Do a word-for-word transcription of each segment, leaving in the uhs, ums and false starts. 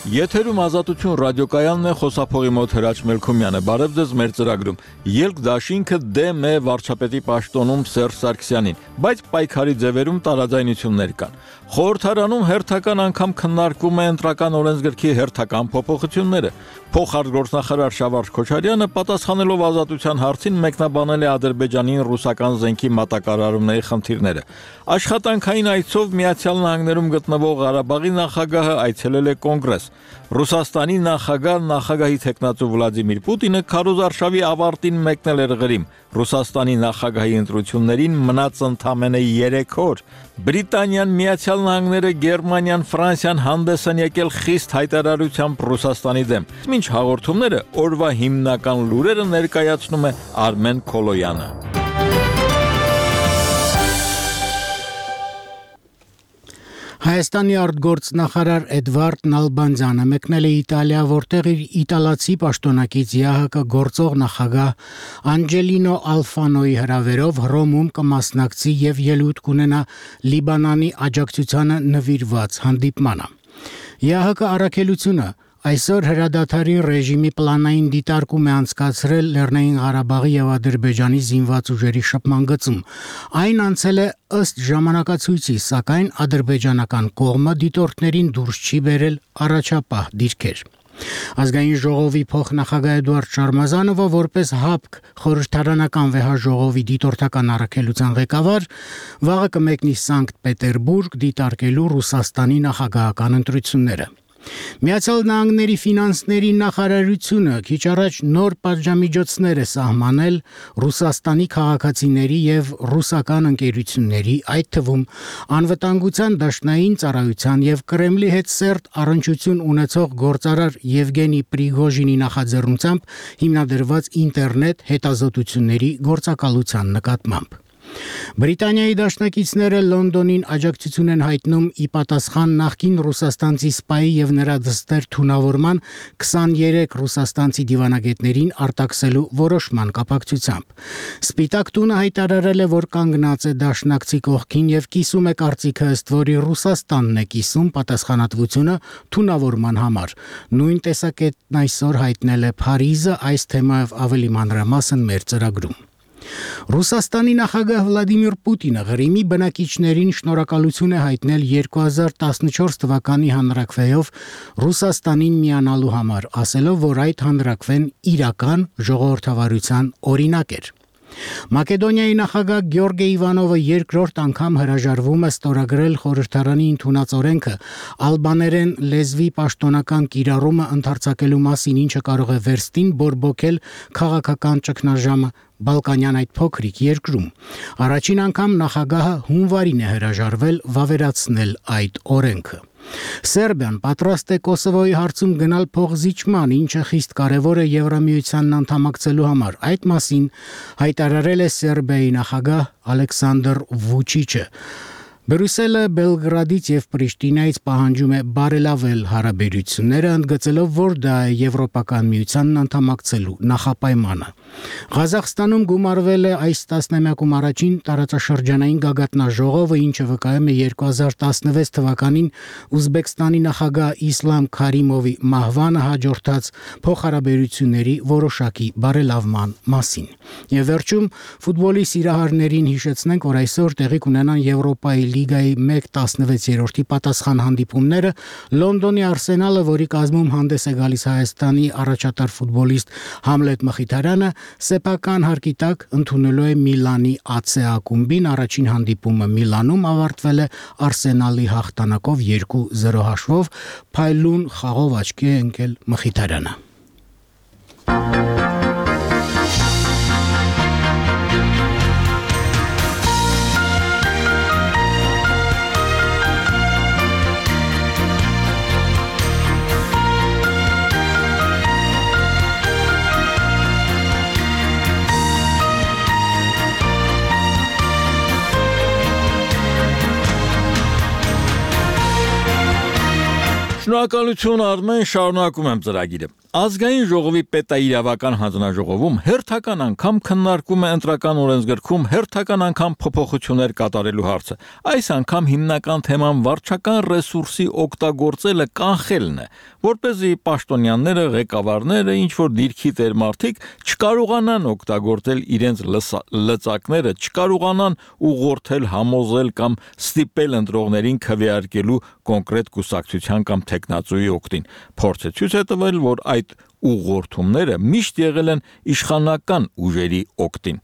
Եթերում Ազատություն ռադիոկայանն է, խոսափողի մոտ Հրաչ Մելքումյանը։ Բարև ձեզ մեր ծրագրում։ Ելք դաշինքը դեմ է վարչապետի պաշտոնում Սերժ Սարգսյանին, բայց պայքարի ձևերում տարաձայնություններ կան։ Խորհրդարանում հերթական անգամ քննարկվում է ընտրական օրենսգրքի հերթական փոփոխությունները։ Փոխարտգործնախարար Շավարժ Քոչարյանը պատասխանելով Ազատության հարցին մեկնաբանել է Ադրբեջանին ռուսական զենքի մատակարարումների խնդիրները։ Աշխատանքային այցով Միացյալ Նահանգներում գտնվող Ղարաբաղի նախագահը այցելել է Կոնգրես։ Ռուսաստանի նախագահ նախագահի թեկնածու Վլադիմիր Պուտինը քարոզարշավի ավարտին մեկնել էր Ղրիմ։ Ռուսաստանի նախագահի ընտրություններին մնաց ընդամենը երեք օր։ Բրիտանիան, Միացյալ Նահանգները, Գերմանիան, Ֆրանսիան հանդես են եկել խիստ հայտարարությամբ Ռուսաստանի դեմ։ Մինչ հաղորդումները օրվա հիմնական լուրերը ներկայացնում է Արմեն Քոլոյանը։ Հայաստանի արտգործնախարար Էդվարդ Նալբանդյանը մեկնել է Իտալիա, որտեղ իր իտալացի պաշտոնակից ԵԱՀԿ գործող նախագահ Անջելինո Ալֆանոյի հրավերով Հռոմում կմասնակցի եւ ելույթ կունենա Լիբանանի աջակցությանը նվիրված հանդիպմանը։ ԵԱՀԿ առաքելությունը այսօր հրադադարի ռեժիմի պլանային դիտարկում է անցկացրել Լեռնային Ղարաբաղի եւ Ադրբեջանի զինված ուժերի շփման գծում։ Այն անցել է ըստ ժամանակացույցի, սակայն ադրբեջանական կողմը դիտորդներին դուրս չի բերել առաջապահ դիրքեր։ Ազգային ժողովի փոխնախագահ Էդուարդ Շարմազանովը որպես ՀԱՊԿ խորհրդարանական վեհաժողովի դիտորդական առաքելության ղեկավար վաղը կմեկնի Սանկտ Պետերբուրգ դիտարկելու Ռուսաստանի նախագահական ընտրությունները։ Միացյալ Նահանգների ֆինանսների նախարարությունը քիչ առաջ նոր պատժամիջոցներ է սահմանել Ռուսաստանի քաղաքացիների եւ ռուսական ընկերությունների, այդ թվում անվտանգության դաշնային ծառայության եւ Կրեմլի հետ սերտ առնչություն ունեցող գործարար Եվգենի Պրիգոժինի նախաձեռնությամբ հիմնադրված ինտերնետ հետազոտությունների գործակալության նկատմամբ։ Բրիտանիայի դաշնակիցները Լոնդոնին աջակցություն են հայտնում ի պատասխան նախկին ռուսաստանցի սպայի եւ նրա դստեր թունավորման քսաներեք ռուսաստանցի դիվանագետներին արտաքսելու որոշման կապակցությամբ։ Սպիտակ տունը հայտարարել է, որ կանգնած է դաշնակցի կողքին եւ կիսում է կարծիքը, ըստ որի Ռուսաստանն է կիսում պատասխանատվությունը թունավորման համար։ Նույն տեսակետն այսօր հայտնել է Փարիզը, այս թեմայով ավելի մանրամասն մեր ծրագրում։ Ռուսաստանի նախագահ Վլադիմիր Պուտինը Ղրիմի բնակիչներին շնորհակալություն է հայտնել երկու հազար տասնչորս թվականի հանրաքվեով Ռուսաստանին միանալու համար, ասելով, որ այդ հանրաքվեն իրական ժողովրդավարության օրինակ էր։ Մակեդոնիայի նախագահ Գյորգե Իվանովը երկրորդ անգամ հրաժարվում է ստորագրել խորհրդարանի ընդունած օրենքը ալբաներեն լեզվի պաշտոնական կիրառումը ընդարձակելու մասին, ինչը կարող է վերստին բորբոքել քաղաքական ճգնաժամը Բալկանյան այդ փոքրիկ երկրում։ Առաջին անգամ նախագահը հունվարին է հրաժարվել վավերացնել այդ օրենքը։ Սերբիան պատրաստ է Կոսովոյի հարցում գնալ փոխզիջման, ինչը խիստ կարևոր է Եվրամիությանն անդամակցելու համար։ Այդ մասին հայտարարել է Սերբիայի նախագահ Ալեքսանդր Վուչիչը։ Բրյուսելը Բելգրադից եւ Պրիշտինայից պահանջում է բարելավել հարաբերությունները, ընդգծելով, որ դա է Եվրոպական միությանն անդամակցելու նախապայմանը։ Ղազախստանում գումարվել է այս տասնամյակում առաջին տարածաշրջանային գագաթնաժողովը, ինչը վկայում է երկու հազար տասնվեց թվականին Ուզբեկստանի նախագահ Իսլամ Քարիմովի մահվանը հաջորդած փոխհարաբերությունների որոշակի բարելավման մասին։ Եվ վերջում ֆուտբոլի սիրահարներին հիշեցնենք, որ այսօր տեղի կունենան Եվրոպայի Լիգայի մեկ տասնվեցերորդի պատասխան հանդիպումները Լոնդոնի Արսենալը, որի կազմում հանդես է գալիս Հայաստանի առաջատար ֆուտբոլիստ Համլետ Մխիթարյանը, սեփական հարկի տակ ընդունելու է Միլանի ա ցե ակումբին։ Առաջին հանդիպումը Միլանում ավարտվել է Արսենալի հաղթանակով երկու զրո հաշվով, փայլուն խաղով աչքի է ընկել Մխիթարյանը։ Շնորհակալություն Արմեն, շարունակում եմ ծրագիրը։ Ազգային ժողովի պետաիրավական հանձնաժողովում հերթական անգամ քննարկում է ընտրական օրենսգրքում հերթական անգամ փոփոխություններ կատարելու հարցը։ Այս անգամ հիմնական թեման վարչական ռեսուրսի օգտագործելը կանխելն է, որպեսզի պաշտոնյաները, ղեկավարները, ինչ որ դիրքի տեր մարդիկ չկարողանան օգտագործել իրենց լծակները, չկարողանան ուղղորդել, համոզել կամ ստիպել ընտրողներին քվեարկելու կոնկրետ կուսակցության կամ տեխնացուի օգտին։ Փորձը ցույց է տվել, որ այդ ուղղորդումները միշտ եղել են իշխանական ուժերի օգտին։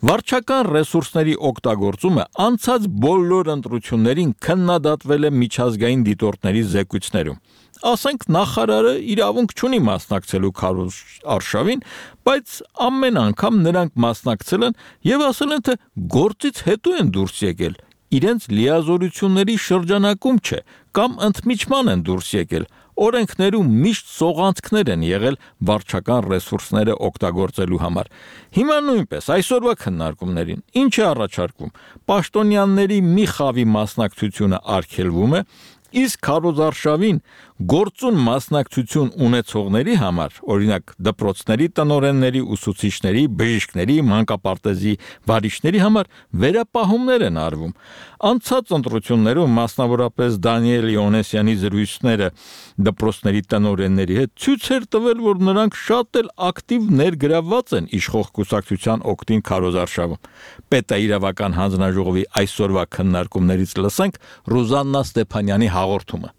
Վարչական ռեսուրսների օգտագործումը անցած բոլոր ընտրություններին քննադատվել է միջազգային դիտորդների զեկույցներում։ Ասենք նախարարը իրավունք չունի մասնակցելու քարոզարշավին, բայց ամեն անգամ նրանք մասնակցել են եւ ասել են, թե գործից հետո են դուրս եկել, իրենց լիազորությունների շրջանակում չէ, կամ ընդմիջման են դուրս եկել։ Օրենքներում միշտ սողանցքներ են եղել վարչական ռեսուրսները օգտագործելու համար։ Հիմա նույնպես այսօրվա քննարկումներին ինչ է առաջարկվում։ Պաշտոնյաների մի խավի մասնակցությունը արգելվում է, իսկ քարոզարշավին գործուն մասնակցություն ունեցողների համար, օրինակ դպրոցների տնօրենների, ուսուցիչների, բժիշկների, մանկապարտեզի վարիշների համար վերապահումներ են արվում։ Անցած ընտրություններում մասնավորապես Դանիել Իոնեսյանի զրույցները դպրոցների տնօրենների հետ ցույց էր տվել, որ նրանք շատ էլ ակտիվ ներգրավված են իշխող կուսակցության օգտին քարոզարշավում։ Պետաիրավական հանձնաժողովի այսօրվա քննարկումներից լսենք Ռուզաննա Ստեփանյանի հաղորդումը։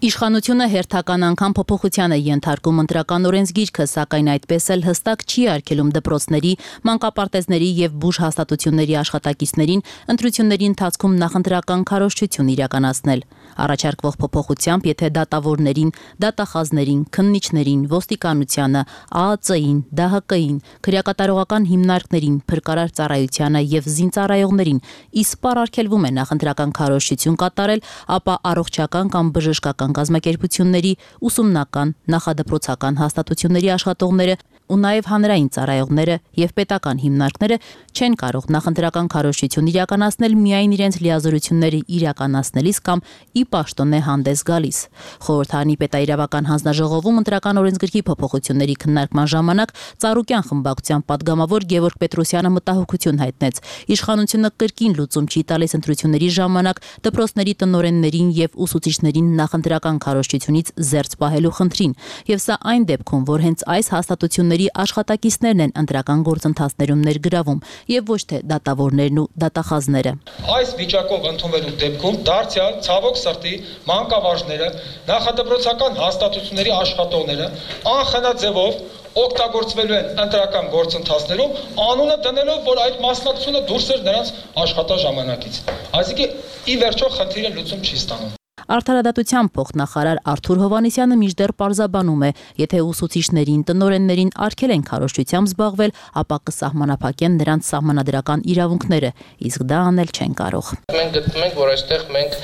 Իշխանությունը հերթական անգամ փոփոխության է ենթարկում ընտրական օրենսգիրքը, սակայն այդպես էլ հստակ չի արգելում դպրոցների, մանկապարտեզների եւ բուժ հաստատությունների աշխատակիցներին ընտրությունների ընթացքում նախընտրական քարոզչություն իրականացնել։ Առաջարկվող փոփոխությամբ, եթե դատավորներին, դատախազներին, քննիչներին, ոստիկանությանը, ԱԱԾ-ին, ԴՀԿ-ին, քրեակատարողական հիմնարկներին, փրկարար ծառայությանը եւ զինծառայողներին իսպառ արգելվում է նախընտրական քարոզչություն կատարել, ապա առողջական կամ բժշկական կազմակերպությունների, ուսումնական, նախադպրոցական հաստատությունների աշխատողները ու նաև հանրային ծառայողները եւ պետական հիմնարկները չեն կարող նախընտրական քարոզչություն իրականացնել միայն իրենց լիազորությունները իրականացնելիս կամ ի պաշտոնե հանդես գալիս։ Խորհրդարանի պետաիրավական հանձնաժողովում ընտրական օրենսգրքի փոփոխությունների քննարկման ժամանակ Ծառուկյան խմբակցության падգամավոր Գևորգ Պետրոսյանը մտահոգություն հայտնեց։ Իշխանությունը կրկին լուծում չի տալիս ընտրությունների ժամանակ դպրոցների տնօրեններին եւ ուսուցիչներին նախընտրական քարոզչությունից զերծ պահելու խնդրին, եւ սա այն դեպքում, որ հենց այս հաստատությունների աշխատակիցներն են ընտրական գործընթացներում ներգրավում եւ ոչ թե դատավորներն ու դատախազները։ Այս վիճակով ընդունվելու դեպքում դարձյալ ցավոք սրտի մանկավարժները, նախադպրոցական հաստատությունների աշխատողները անխնաձևով օգտագործվելու են ընտրական գործընթացներում, անունը դնելով, որ այդ մասնակցությունը դուրս էր նրանց աշխատաժամանակից։ Այսինքն ի վերջո խնդիրը լուծում չի ստանում։ Արդարադատության փոխնախարար Արթուր Հովհաննիսյանը մինչդեռ պարզաբանում է, եթե ուսուցիչներին, տնօրեններին արգել են քարոզչությամբ զբաղվել, ապա կսահմանափակեն նրանց սահմանադրական իրավունքները, իսկ դա անել չեն կարող։ Մենք գտնում ենք, որ այստեղ մենք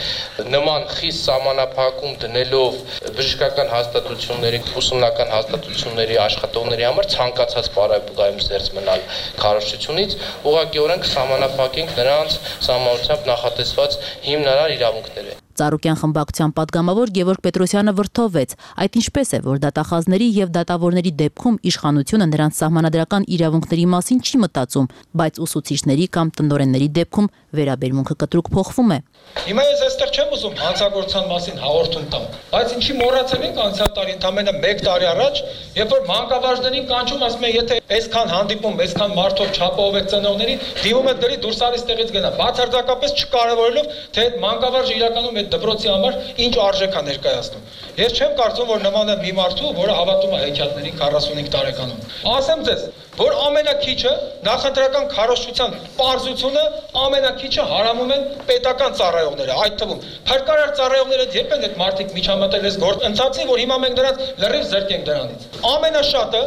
նման խիստ սահմանափակում դնելով բժշկական հաստատությունների, ուսումնական հաստատությունների աշխատողների համար ցանկացած պարագայում զերծ մնալ քարոզչությունից, ուղղակիորեն կսահմանափակենք նրանց սահմանությամբ նախատեսված հիմնարար իրավունքները։ Ծառուկյան խմբակցության падգամավոր Գևորգ Պետրոսյանը վրթովվեց, այդ ինչպես է, որ դատախազների եւ դատավորների դեպքում իշխանությունը նրանց սահմանադրական իրավունքների մասին չի մտածում, բայց ուսուցիչների կամ տնօրենների դեպքում վերաբերմունքը կտրուկ փոխվում է։ Հիմա ես այստեղ չեմ ուզում հանցագործության մասին հաղորդում տամ, բայց ինչի մոռացել ենք անցյալ տարի ընդամենը մեկ տարի առաջ, երբ որ մանկավարժներին կանչում ասում են, եթե այսքան հանդիպում, այսքան մարդով չափով եք ծնողների, դիմում եք դրի դուրս արի ստեղից գնա, բացարձակապես չկարևորելով, թե այդ մանկավարժը իրականում այդ դպրոցի համար ինչ արժեք է ներկայացնում։ Ես չեմ կարծում, որ նման է մի մարդու, որը հավատում է հեքիաթների քառասունհինգ տարեկանում։ Ասեմ ձեզ, որ ամենակիչը նախընտրական քարոզչության պարզությունը ամենակիչը հարամում են պետական ծառայողները, այդ թվում փրկարար ծառայողները երբ են այդ մարդիկ միջամտել այս գործընթացին, որ հիմա մենք նրանց լրիվ զրկենք դրանից։ Ամենաշատը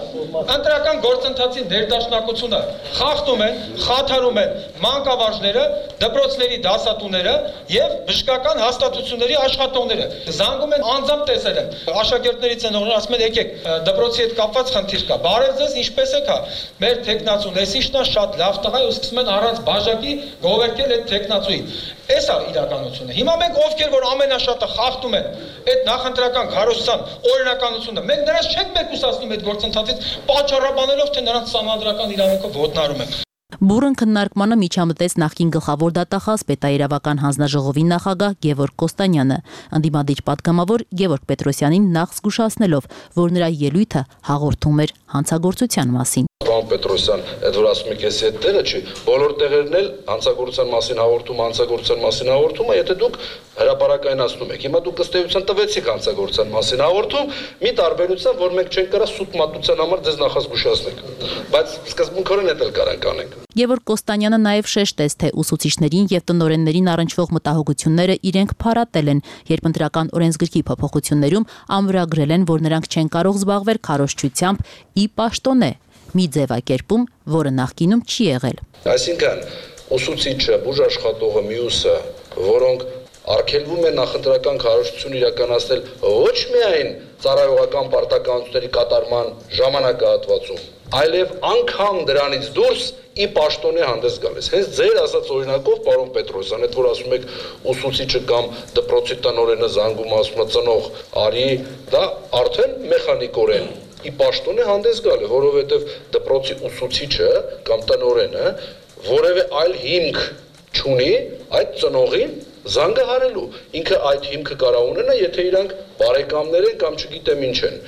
ընտրական գործընթացի ներդաշնակությունը խախտում են, խաթարում են մանկավարժները, դպրոցների դասատուները եւ բժշկական հաստատությունների աշխատողները։ Զանգում են անձամբ տեսել են։ Աշակերտների ծնողները ասում են եկեք դպրոցի հետ կապված խնդիր կա։ Բարև ձեզ, ինչպես եք հա։ Մեր տեխնացուն էսիշնա շատ լավ տղա է ու սկսում են առանց բաժակի գովերքել այդ տեխնացուին։ Էս է իրականությունը։ Հիմա մենք ովքեր որ ամենաշատը խախտում են այդ նախընտրական քարոզության օրինականությունը, մենք նրանց չենք մեկուսացնում այդ գործընթացից, պատճառաբանելով թե նրանց սահմանադրական իրավունքը ոտնարում ենք։ Բուրըն քննարկմանը միջամտեց նախկին գլխավոր դատախազ պետաիրավական հանձնաժողովի նախագահ Գևորգ Կոստանյանը, ընդդիմադիր պատգամավոր Գևորգ Պետրոսյանին նախ զգուշացնելով, որ նրա ելույթը հաղորդում էր հանցագործության մասին։ Պարոն Պետրոսյան, այդ որ ասում եք, էսի այդ տեղը չի, բոլոր տեղերն էլ հանցագործության մասին հաղորդում, հանցագործության մասին հաղորդումը, եթե դուք հրապարակայնացնում եք։ Հիմա դուք ըստ էության տվեցիք հանցագործության մասին հաղորդում, մի տարբերությամբ, որ մենք չենք կարա սուտ մատության համար ձեզ նախազգուշացնենք, բայց սկզբունքորեն դա էլ կարանք անենք։ Գևորգ Կոստանյանը նաև շեշտեց, թե ուսուցիչներին եւ տնօրեններին առնչվող մտահոգությունները իրենք փարատել են, երբ ընտրական օրենսգրքի փոփոխություններում ամրագրել են, որ նրանք չեն կարող զբաղվել քարոզչությամբ ի պաշտոնե, մի ձևակերպում, որը նախկինում չի եղել։ Այսինքն, ուսուցիչը, բուժաշխատողը, մյուսը, որոնք արգելվում են նախընտրական քարոզչություն իրականացնել ոչ միայն ծառայողական պարտականությունների կատարման ժամանակահատվածում, այլև անգամ դրանից դուրս ի պաշտոնե հանդես գալիս։ Հենց ձեր ասած օրինակով, պարոն Պետրոսյան, այդ որ ասում եք ուսուցիչը կամ դպրոցի տնօրենը զանգում ասում է ծնող արի, դա արդեն մեխանիկորեն ի պաշտոնե հանդես գալ է, որովհետև դպրոցի ուսուցիչը կամ տնօրենը որևէ այլ հիմք չունի այդ ծնողին զանգահարելու։ Ինքը այդ հիմքը կարող ունենա, եթե իրանք բարեկամներ են կամ չգիտեմ ինչ են։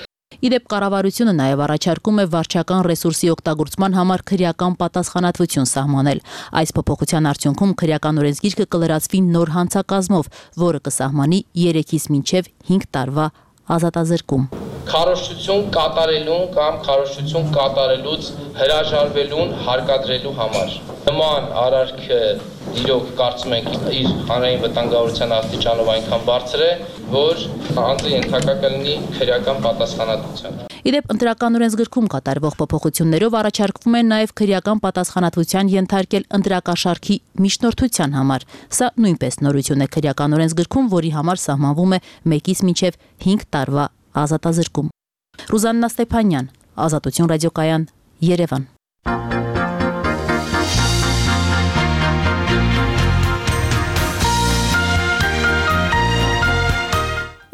Իդեպ կառավարությունը նաև առաջարկում է վարչական ռեսուրսի օգտագործման համար քրեական պատասխանատվություն սահմանել։ Այս փոփոխության արդյունքում քրեական օրենսգիրքը կլրացվի նոր հանցակազմով, որը կսահմանի երեքից մինչև հինգ տարվա ազատազրկում։ Քարոզչություն կատարելուն կամ քարոզչություն կատարելուց հրաժարվելուն հարկադրելու համար։ Նման արարքը իրոք կարծում ենք իր հանրային վտանգավորության աստիճանով այնքան բարձր է, որ անձը ենթակա կլինի քրեական պատասխանատվության։ Իդեպ ընտրական օրենսգրքում կատարվող փոփոխություններով առաջարկվում է նաև քրեական պատասխանատվության ենթարկել ընտրակաշարքի միջնորդության համար։ Սա նույնպես նորություն է քրեական օրենսգրքում, որի համար սահմանվում է մեկից մինչև հինգ տարվա ազատազրկում։ Ռուզաննա Ստեփանյան, Ազատություն ռադիոկայան, Երևան։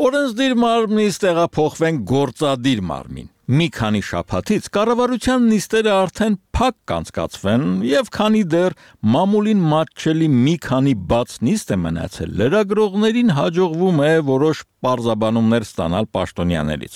Օրենսդիր մարմնից տեղափոխվեն գործադիր մարմին։ Մի քանի շաբաթից կառավարության նիստերը արդեն փակ կանցկացվեն եւ քանի դեռ մամուլին մատչելի մի քանի բաց նիստ է մնացել, լրագրողներին հաջողվում է որոշ պարզաբանումներ ստանալ պաշտոնյաներից։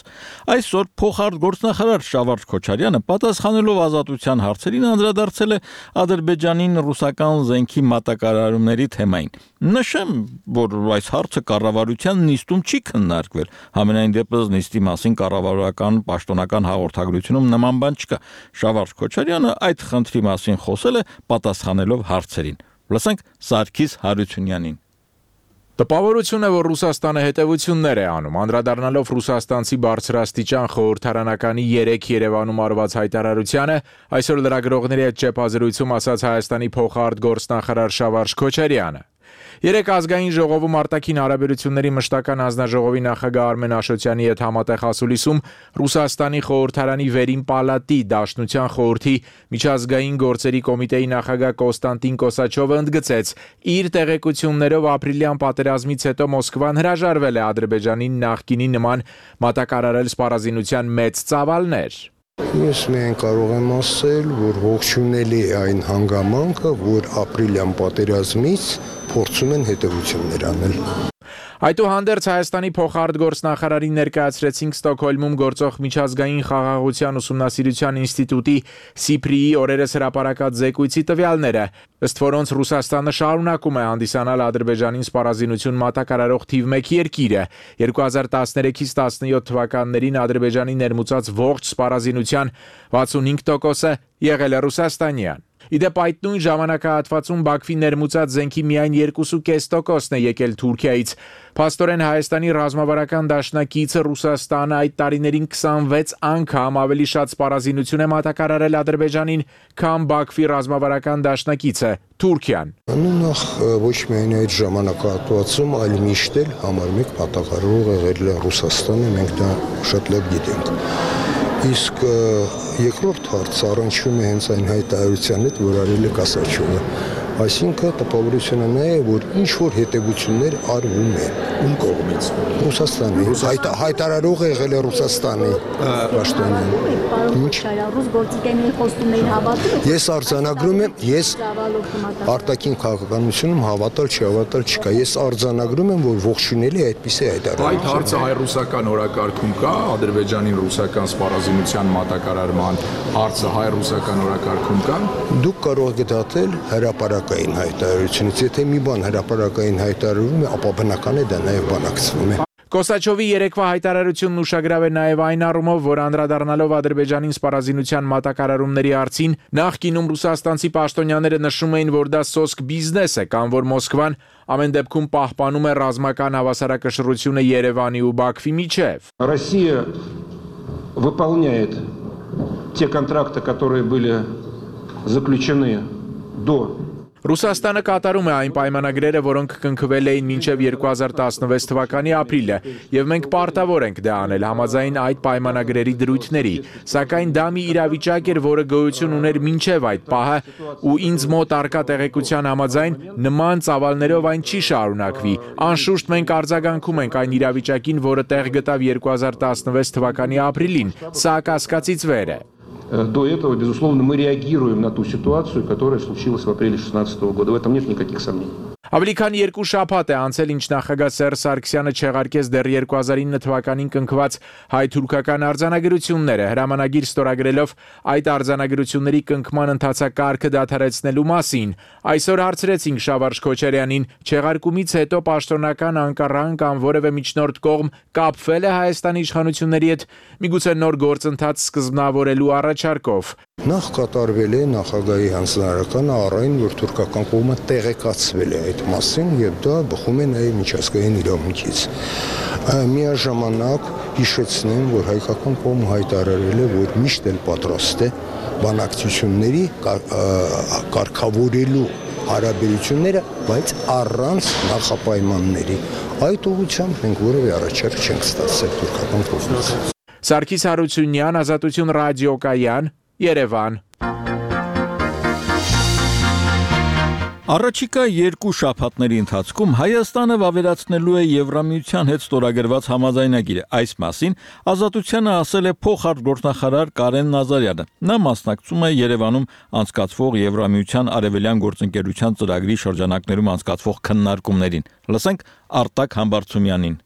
Այսօր փոխարտգործնախարար Շավարժ Քոչարյանը պատասխանելով ազատության հարցերին անդրադարձել է Ադրբեջանին ռուսական զենքի մատակարարումների թեմային։ Նշեմ, որ այս հարցը կառավարության նիստում չի քննարկվել, համենայն դեպս նիստի մասին կառավարական պաշտոնական հաղորդագրությունում նման բան չկա։ Շավարժ Քոչարյանը այդ խնդրի մասին խոսել է պատասխանելով հարցերին։ Լսենք Սարգիս Հարությունյանին։ Տպավորություն է, որ Ռուսաստանը հետևություններ է անում, անդրադառնալով ռուսաստանցի բարձրաստիճան խորհրդարանականի երեք Երևանում արված հայտարարությանը, այսօր լրագրողների հետ ճեպազրույցում ասաց Հայաստանի փոխարտգործնախարար Շավարժ Քոչարյանը։ Երեք ազգային ժողովում արտաքին հարաբերությունների մշտական հանձնաժողովի նախագահ Արմեն Աշոտյանի հետ համատեղ ասուլիսում Ռուսաստանի խորհրդարանի վերին պալատի Դաշնության խորհրդի միջազգային գործերի կոմիտեի նախագահ Կոստանտին Կոսաչովը ընդգծեց, իր տեղեկություններով ապրիլյան պատերազմից հետո Մոսկվան հրաժարվել է Ադրբեջանին նախկինի նման մատակարարել սպառազինության մեծ ծավալներ։ Ես միայն կարող եմ ասել, որ ողջունելի է այն հանգամանքը, որ ապրիլյան պատերազմից փորձում են հետևություններ անել։ Այդուհանդերձ Հայաստանի փոխարտգործնախարարին ներկայացրեցինք Ստոկհոլմում գործող միջազգային խաղաղության ուսումնասիրության ինստիտուտի Սիփրիի օրերս հրապարակած զեկույցի տվյալները, ըստ որոնց Ռուսաստանը շարունակում է հանդիսանալ Ադրբեջանին սպառազինություն մատակարարող թիվ մեկ երկիրը։ երկու հազար տասներեքից տասնյոթ թվականներին Ադրբեջանի ներմուծած ողջ սպառազինության վաթսունհինգ տոկոսը եղել է ռուսաստանյան։ Իդեպ այդ նույն ժամանակահատվածում Բաքվի ներմուծած զենքի միայն երկու կόμμα պենս տոկոսն է եկել Թուրքիայից։ Փաստորեն Հայաստանի ռազմավարական դաշնակիցը Ռուսաստանը այդ տարիներին քսանվեց անգամ ավելի շատ սպառազինություն է մատակարարել Ադրբեջանին, քան Բաքվի ռազմավարական դաշնակիցը Թուրքիան։ Նախ ոչ միայն այդ ժամանակահատվածում, այլ միշտ էլ համար մեկ պատահարող եղել է Ռուսաստանը, մենք դա շատ լավ գիտենք։ Իսկ երկրորդ հարցը առնչվում է հենց այն հայտարարության հետ, որ արել է կասացիոնը։ Այսինքն տպավորությունը նա է, որ ինչ որ հետևություններ արվում են։ Ում կողմից։ Ռուսաստանի։ Հայտարարողը եղել է Ռուսաստանի պաշտոնյան։ Ինչ ռուս գործիքների խոստումներին հավատում։ Ես արձանագրում եմ, ես արտաքին քաղաքականությունում հավատալ չհավատալ չկա։ Ես արձանագրում եմ, որ ողջունելի է այդպիսի հայտարարություն։ Այդ հարցը հայ-ռուսական օրակարգում կա, Ադրբեջանի ռուսական սպառազինության մատակարարման հարցը հայ-ռուսական օրակարգում կա։ Դուք կարող եք դատել հրապարակային հայտարարությունից, եթե մի բան հրապարակային հայտարարվում է, ապա բնական է դա նաև բանակցվում է։ Կոսաչովի երեկվա հայտարարությունն ուշագրավ է նաև այն առումով, որ անդրադառնալով Ադրբեջանին սպառազինության մատակարարումների հարցին, նախկինում ռուսաստանցի պաշտոնյաները նշում էին, որ դա սոսկ բիզնես է, կամ որ Մոսկվան ամեն դեպքում պահպանում է ռազմական հավասարակշռությունը Երևանի ու Բաքվի միջև։ Россия выполняет те контракты, которые были заключены до Ռուսաստանը կատարում է այն պայմանագրերը, որոնք կնքվել էին մինչև երկու հազար տասնվեց թվականի ապրիլը, եւ մենք պարտավոր ենք դա անել համաձայն այդ պայմանագրերի դրույթների, սակայն դա մի իրավիճակ էր, որը գոյություն ուներ մինչև այդ պահը, ու ինձ մոտ առկա տեղեկության համաձայն նման ծավալներով այն չի շարունակվի։ Անշուշտ մենք արձագանքում ենք այն իրավիճակին, որը տեղ գտավ երկու հազար տասնվեց թվականի ապրիլին, սա կասկածից վեր է։ До этого, безусловно, мы реагируем на ту ситуацию, которая случилась в апреле две тысячи шестнадцатого года. В этом нет никаких сомнений. Ավելի քան երկու շաբաթ է անցել, ինչ նախագահ Սերժ Սարգսյանը չեղարկեց դեռ երկու հազար ինը թվականին կնքված հայ-թուրքական արձանագրությունները, հրամանագիր ստորագրելով այդ արձանագրությունների կնքման ընթացակարգը դադարեցնելու մասին։ Այսօր հարցրեցինք Շավարժ Քոչարյանին, չեղարկումից հետո պաշտոնական Անկարան կամ որևէ միջնորդ կողմ կապվել է Հայաստանի իշխանությունների հետ, միգուցե նոր գործընթաց սկզբնավորելու առաջարկով։ Նախ կատարվել է նախագահի հանձնարարականը առայն, որ թուրքական կողմը տեղեկացվել է այդ մասին եւ դա բխում է նաեւ միջազգային իրավունքից։ Միաժամանակ հիշեցնեմ, որ հայկական կողմը հայտարարել է, որ միշտ էլ պատրաստ է բանակցությունների կարգավորելու հարաբերությունները, բայց առանց նախապայմանների։ Այդ ուղղությամբ մենք որևէ առաջարկ չենք ստացել թուրքական կողմից։ Սարգիս Հարությունյան, Ազատություն ռադիոկայան, Երևան։ Առաջիկա երկու շաբաթների ընթացքում Հայաստանը վավերացնելու է Եվրամիության հետ ստորագրված համաձայնագիրը։ Այս մասին Ազատությանը ասել է փոխարտգործնախարար Կարեն Նազարյանը։ Նա մասնակցում է Երևանում անցկացվող Եվրամիության արևելյան գործընկերության ծրագրի շրջանակներում անցկացվող քննարկումներին։ Լսենք Արտակ Համբարձումյանին։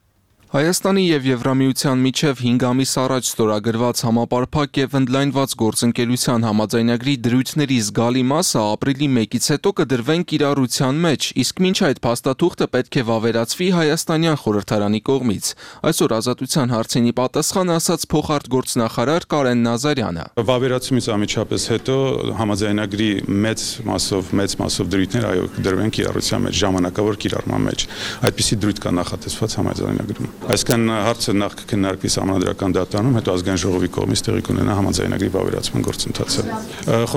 Հայաստանի եւ Եվրամիության միջև հինգ ամիս առաջ ստորագրված համապարփակ եւ ընդլայնված գործընկերության համաձայնագրի դրույթների զգալի մասը ապրիլի մեկից հետո կդրվեն կիրառության մեջ, իսկ մինչ այդ փաստաթուղթը պետք է վավերացվի հայաստանյան խորհրդարանի կողմից։ Այսօր Ազատության հարցինի պատասխան ասաց փոխարտգործնախարար Կարեն Նազարյանը։ Վավերացումից անմիջապես հետո համաձայնագրի մեծ մասով մեծ մասով դրույթներ այո կդրվեն կիրառության մեջ, ժամանակավոր կիրառման մեջ։ Այդպիսի դրույթ կա նախատեսված համաձայնագրում։ Այսքան հարցը նախ կքննարկվի Սահմանադրական դատարանում, հետո Ազգային ժողովի կողմից տեղի կունենա համաձայնագրի վավերացման գործընթացը։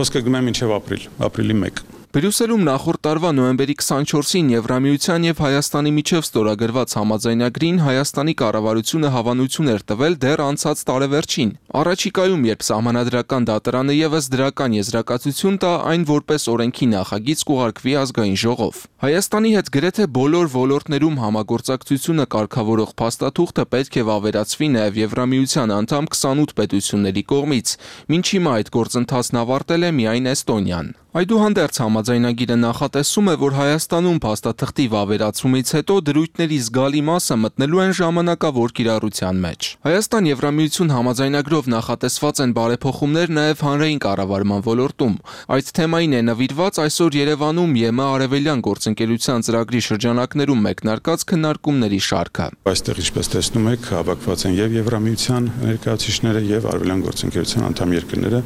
Խոսքը գնում է մինչև ապրիլ, ապրիլի մեկ։ Բրյուսելում նախորդ տարվա նոյեմբերի քսանչորսին Եվրամիության եւ Հայաստանի միջև ստորագրված համաձայնագրին Հայաստանի կառավարությունը հավանություն էր տվել դեռ անցած տարեվերջին։ Առաջիկայում, երբ Սահմանադրական դատարանը եւս դրական եզրակացություն տա, այն որպես օրենքի նախագիծ կուղարկվի Ազգային ժողով։ Հայաստանի հետ գրեթե բոլոր ոլորտներում համագործակցությունը կարգավորող փաստաթուղթը պետք է վավերացվի նաեւ Եվրամիության անդամ քսանութ պետությունների կողմից։ Մինչ հիմա այդ գործընթացն ավարտել է միայն Էստոնիան։ Այդուհանդերձ համաձայնագիրը նախատեսում է, որ Հայաստանում փաստաթղթի վավերացումից հետո դրույթների զգալի մասը մտնելու են ժամանակավոր կիրառության մեջ։ Հայաստան-Եվրամիություն համաձայնագրով նախատեսված են բարեփոխումներ նաև հանրային կառավարման ոլորտում։ Այդ թեմային է նվիրված այսօր Երևանում ԵՄ արևելյան գործընկերության ծրագրի շրջանակներում մեկնարկած քննարկումների շարքը։ Այստեղ, ինչպես տեսնում եք, հավաքված են եւ Եվրամիության ներկայացուցիչները եւ արևելյան գործընկերության անդամ երկրները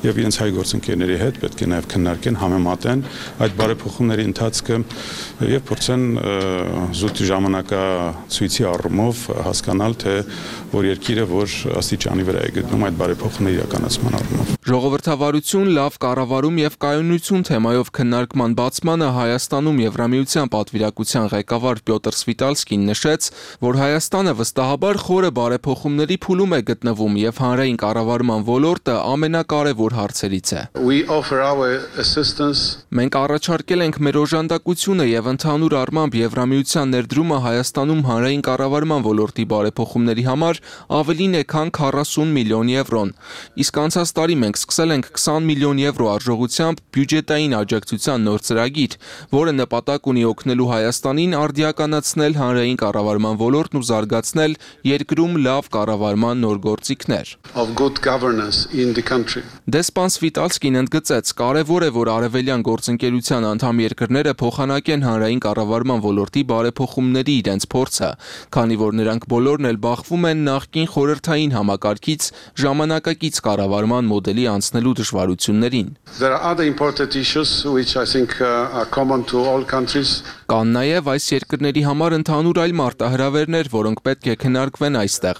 եւ իրենց հայ գործընկերների հետ պետք է նաեւ քննարկեն, համեմատեն այդ բարեփոխումների ընթացքը եւ փորձեն զուտ ժամանակացույցի առումով հասկանալ, թե որ երկիրը որ աստիճանի վրա է գտնում այդ բարեփոխումների իրականացման առումով։ Ժողովրդավարություն, լավ կառավարում եւ կայունություն թեմայով քննարկման բացմանը Հայաստանում Եվրամիության պատվիրակության ղեկավար Պյոտր Սվիտալսկին նշեց, որ Հայաստանը վստահաբար խորը բարեփոխումների փուլում է գտնվում եւ հանրային կառավարման ոլորտը ամենակարևոր հարցերից է։ Մենք առաջարկել ենք մեր օժանդակությունը եւ ընդհանուր առմամբ Եվրամիության ներդրումը Հայաստանում հանրային կառավարման ոլորտի բարեփոխումների համար ավելին է, քան քառասուն միլիոն եվրոն։ Իսկ անցած տարի մենք սկսել ենք քսան միլիոն եվրո արժողությամբ բյուջետային աջակցության նոր ծրագիր, որը նպատակ ունի օգնելու Հայաստանին արդիականացնել հանրային կառավարման ոլորտն ու զարգացնել երկրում լավ կառավարման նոր գործիքներ։ Դեսպան Սվիտալսկին ընդգծեց, կարևոր է, որ արևելյան գործընկերության անդամ երկրները փոխանակեն հանրային կառավարման ոլորտի բարեփոխումների իրենց փորձը, քանի որ նրանք բոլորն էլ բախվում են նախկին խորհրդային համակարգից ժամանակակից կառավարման մոդելի անցնելու դժվարություններին։ Կան նաև այս երկրների համար ընդհանուր այլ մարտահրավերներ, որոնք պետք է քննարկվեն այստեղ,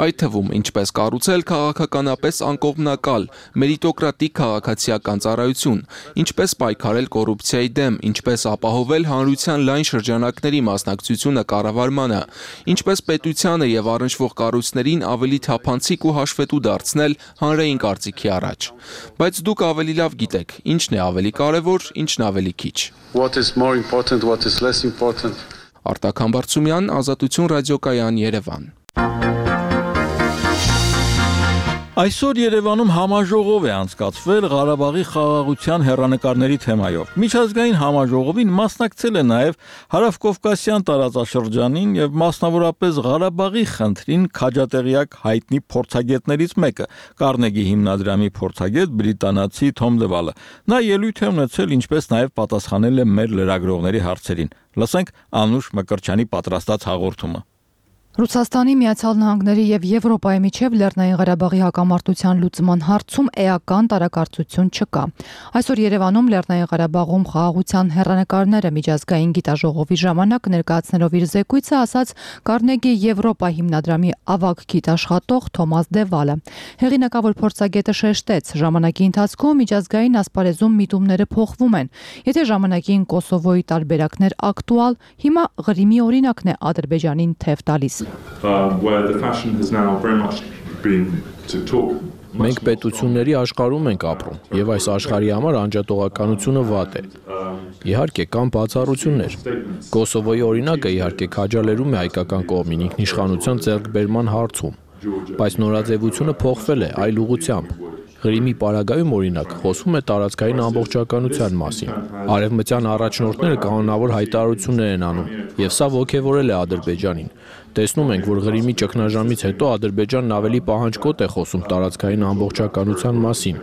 այդ թվում ինչպես կառուցել քաղաքականապես անկողմնակալ, մերիտոկրատիկ քաղաքացիական ծառայություն, ինչպես պայքարել կոռուպցիայի դեմ, ինչպես ապահովել հանրության լայն շրջանակների մասնակցությունը կառավարմանը, ինչպես պետությանը եւ առնչվող կառույցներին ավելի թափանցիկ ու հաշվետու դարձնել հանրային կարծիքի առաջ։ Բայց դուք ավելի լավ գիտեք, ինչն է ավելի կարևոր, ինչն ավելի քիչ։ Արտակ Համբարձումյան, Ազատություն ռադիոկայան, Երևան։ Այսօր Երևանում համաժողով է անցկացվել Ղարաբաղի խաղաղության հեռանկարների թեմայով։ Միջազգային համաժողովին մասնակցել է նաև Հարավկովկասյան տարածաշրջանին եւ մասնավորապես Ղարաբաղի խնդրին քաջատեղյակ հայտնի փորձագետներից մեկը՝ Կարնեգի հիմնադրամի փորձագետ բրիտանացի Թոմ Դևալը։ Նա ելույթ է ունեցել, ինչպես նաև պատասխանել է մեր լրագրողների հարցերին։ Լսենք Անուշ Մկրտչյանի պատրաստած հաղորդումը։ Ռուսաստանի, Միացյալ Նահանգների եւ Եվրոպայի միջև Լեռնային Ղարաբաղի հակամարտության լուծման հարցում էական տարակարծություն չկա։ Այսօր Երևանում Լեռնային Ղարաբաղում խաղաղության հեռանկարները միջազգային գիտաժողովի ժամանակ ներկայացնելով իր զեկույցը ասաց Կարնեգի Եվրոպա հիմնադրամի ավագ գիտաշխատող Թոմաս Դևալը։ Հեղինակավոր փորձագետը շեշտեց, ժամանակի ընթացքում միջազգային ասպարեզում միտումները փոխվում են։ Եթե ժամանակին Կոսովոյի տարբերակներ ակտուալ, հիմա Ղրիմի օրինակն է Ադրբեջանին թև տալիս։ Մենք պետությունների աշխարհում ենք ապրում, եւ այս աշխարհի համար անջատողականությունը վատ է։ Իհարկե կան բացառություններ։ Կոսովոյի օրինակը իհարկե քաջալերում է հայկական կողմին ինքնիշխանության ձեռքբերման հարցում, բայց նորաձևությունը փոխվել է այլ ուղղությամբ։ Ղրիմի պարագայում օրինակ խոսվում է տարածքային ամբողջականության մասին։ Արևմտյան առաջնորդները կանոնավոր հայտարարություններ են անում, եւ սա ոգևորել է Ադրբեջանին։ Տեսնում ենք, որ Ղրիմի ճգնաժամից հետո Ադրբեջանն ավելի պահանջկոտ է խոսում տարածքային ամբողջականության մասին։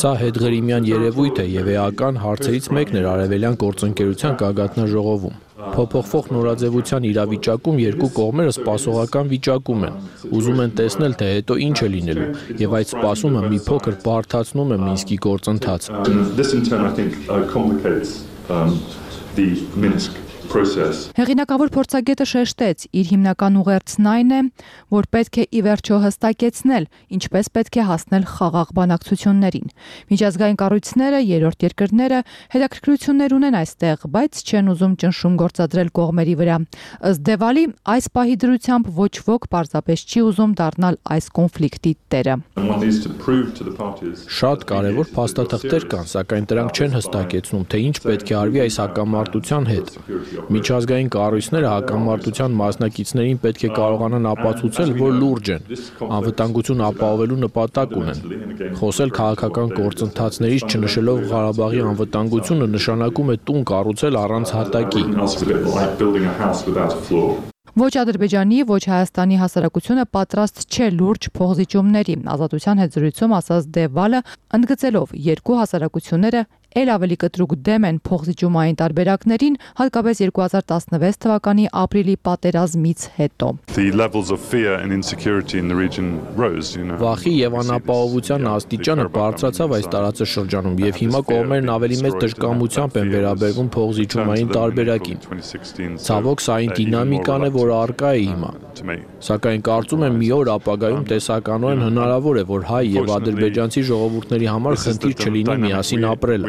Սա հետղրիմյան երևույթ է եւ էական հարցերից մեկն էր արևելյան գործընկերության գագաթնաժողովում։ Փոփոխվող նորաձևության իրավիճակում երկու կողմերը սպասողական վիճակում են, ուզում են տեսնել, թե հետո ինչ է լինելու, եւ այդ սպասումը մի փոքր բարդացնում է Մինսկի գործընթացը։ Հեղինակավոր փորձագետը շեշտեց, իր հիմնական ուղերձն այն է, որ պետք է ի վերջո հստակեցնել, ինչպես պետք է հասնել խաղաղ բանակցություններին։ Միջազգային կառույցները, երրորդ երկրները հետաքրքրություններ ունեն այստեղ, բայց չեն ուզում ճնշում գործադրել կողմերի վրա։ Ըստ Դևալի, այս պահի դրությամբ ոչ ոք պարզապես չի ուզում դառնալ այս կոնֆլիկտի տերը։ Շատ կարևոր փաստաթղթեր կան, սակայն դրանք չեն հստակեցնում, թե ինչ պետք է արվի այս հակամարտության հետ։ Միջազգային կառույցները հակամարտության մասնակիցներին պետք է կարողանան ապացուցել, որ լուրջ են, անվտանգություն ապահովելու նպատակ ունեն։ Խոսել քաղաքական գործընթացներից չնշելով Ղարաբաղի անվտանգությունը նշանակում է տուն կառուցել առանց հատակի։ Ոչ Ադրբեջանի, ոչ Հայաստանի հասարակությունը պատրաստ չէ լուրջ փոխզիջումների։ Ազատության հետ զրույցում ասաց Դևալը, ընդգծելով երկու հասարակությունները ել ավելի կտրուկ դեմ են փոխզիջումային տարբերակներին, հատկապես երկու հազար տասնվեց թվականի ապրիլի պատերազմից հետո։ Վախի եւ անապահովության աստիճանը բարձրացավ այս տարածաշրջանում եւ հիմա կողմերն ավելի մեծ դժկամությամբ են վերաբերվում փոխզիջումային տարբերակին։ Ցավոք, սա այն դինամիկան է, որը առկա է հիմա։ Սակայն կարծում եմ մի օր ապագայում տեսականորեն հնարավոր է, որ հայ եւ ադրբեջանցի ժողովուրդների համար խնդիր չլինի միասին ապրելը։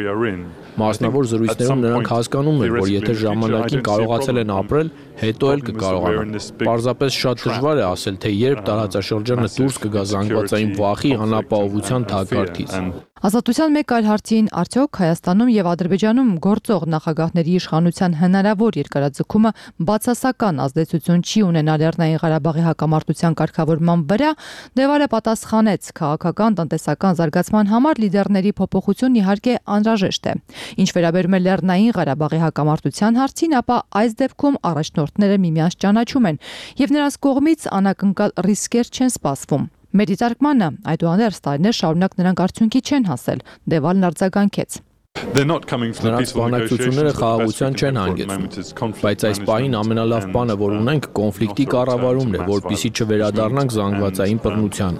Մասնավոր զրույցներում նրանք հասկանում են, որ եթե ժամանակին կարողացել են ապրել, հետո էլ կկարողանան։ Պարզապես շատ դժվար է ասել, թե երբ տարածաշրջանը դուրս կգա զանգվածային վախի անապահովության թակարդից։ Ազատության մեկ այլ հարցին արդյոք Հայաստանում եւ Ադրբեջանում գործող նախագահների իշխանության հնարավոր երկարաձգումը բացասական ազդեցություն չի ունենալ Լեռնային Ղարաբաղի հակամարտության կարգավորման վրա, Դևալը պատասխանեց, քաղաքական տնտեսական զարգացման համար լիդերների փոփոխություն իհարկե անհրաժեշտ է։ Ինչ վերաբերում է Լեռնային Ղարաբաղի հակամարտության հարցին, ապա այս դեպքում առաջնորդները միմյանց ճանաչում են եւ նրանց կողմից անակնկալ ռիսկեր չեն սպասվում։ Մեր դիտարկմանը այդուհանդերձ տարիներ շարունակ նրանք արդյունքի չեն հասել, Դևալն արձագանքեց։ Նրանց բանակցությունները խաղաղության չեն հանգեցնում, բայց այս պահին ամենալավ բանը, որ ունենք, կոնֆլիկտի կառավարումն է, որպեսզի չվերադառնանք զանգվածային բռնության։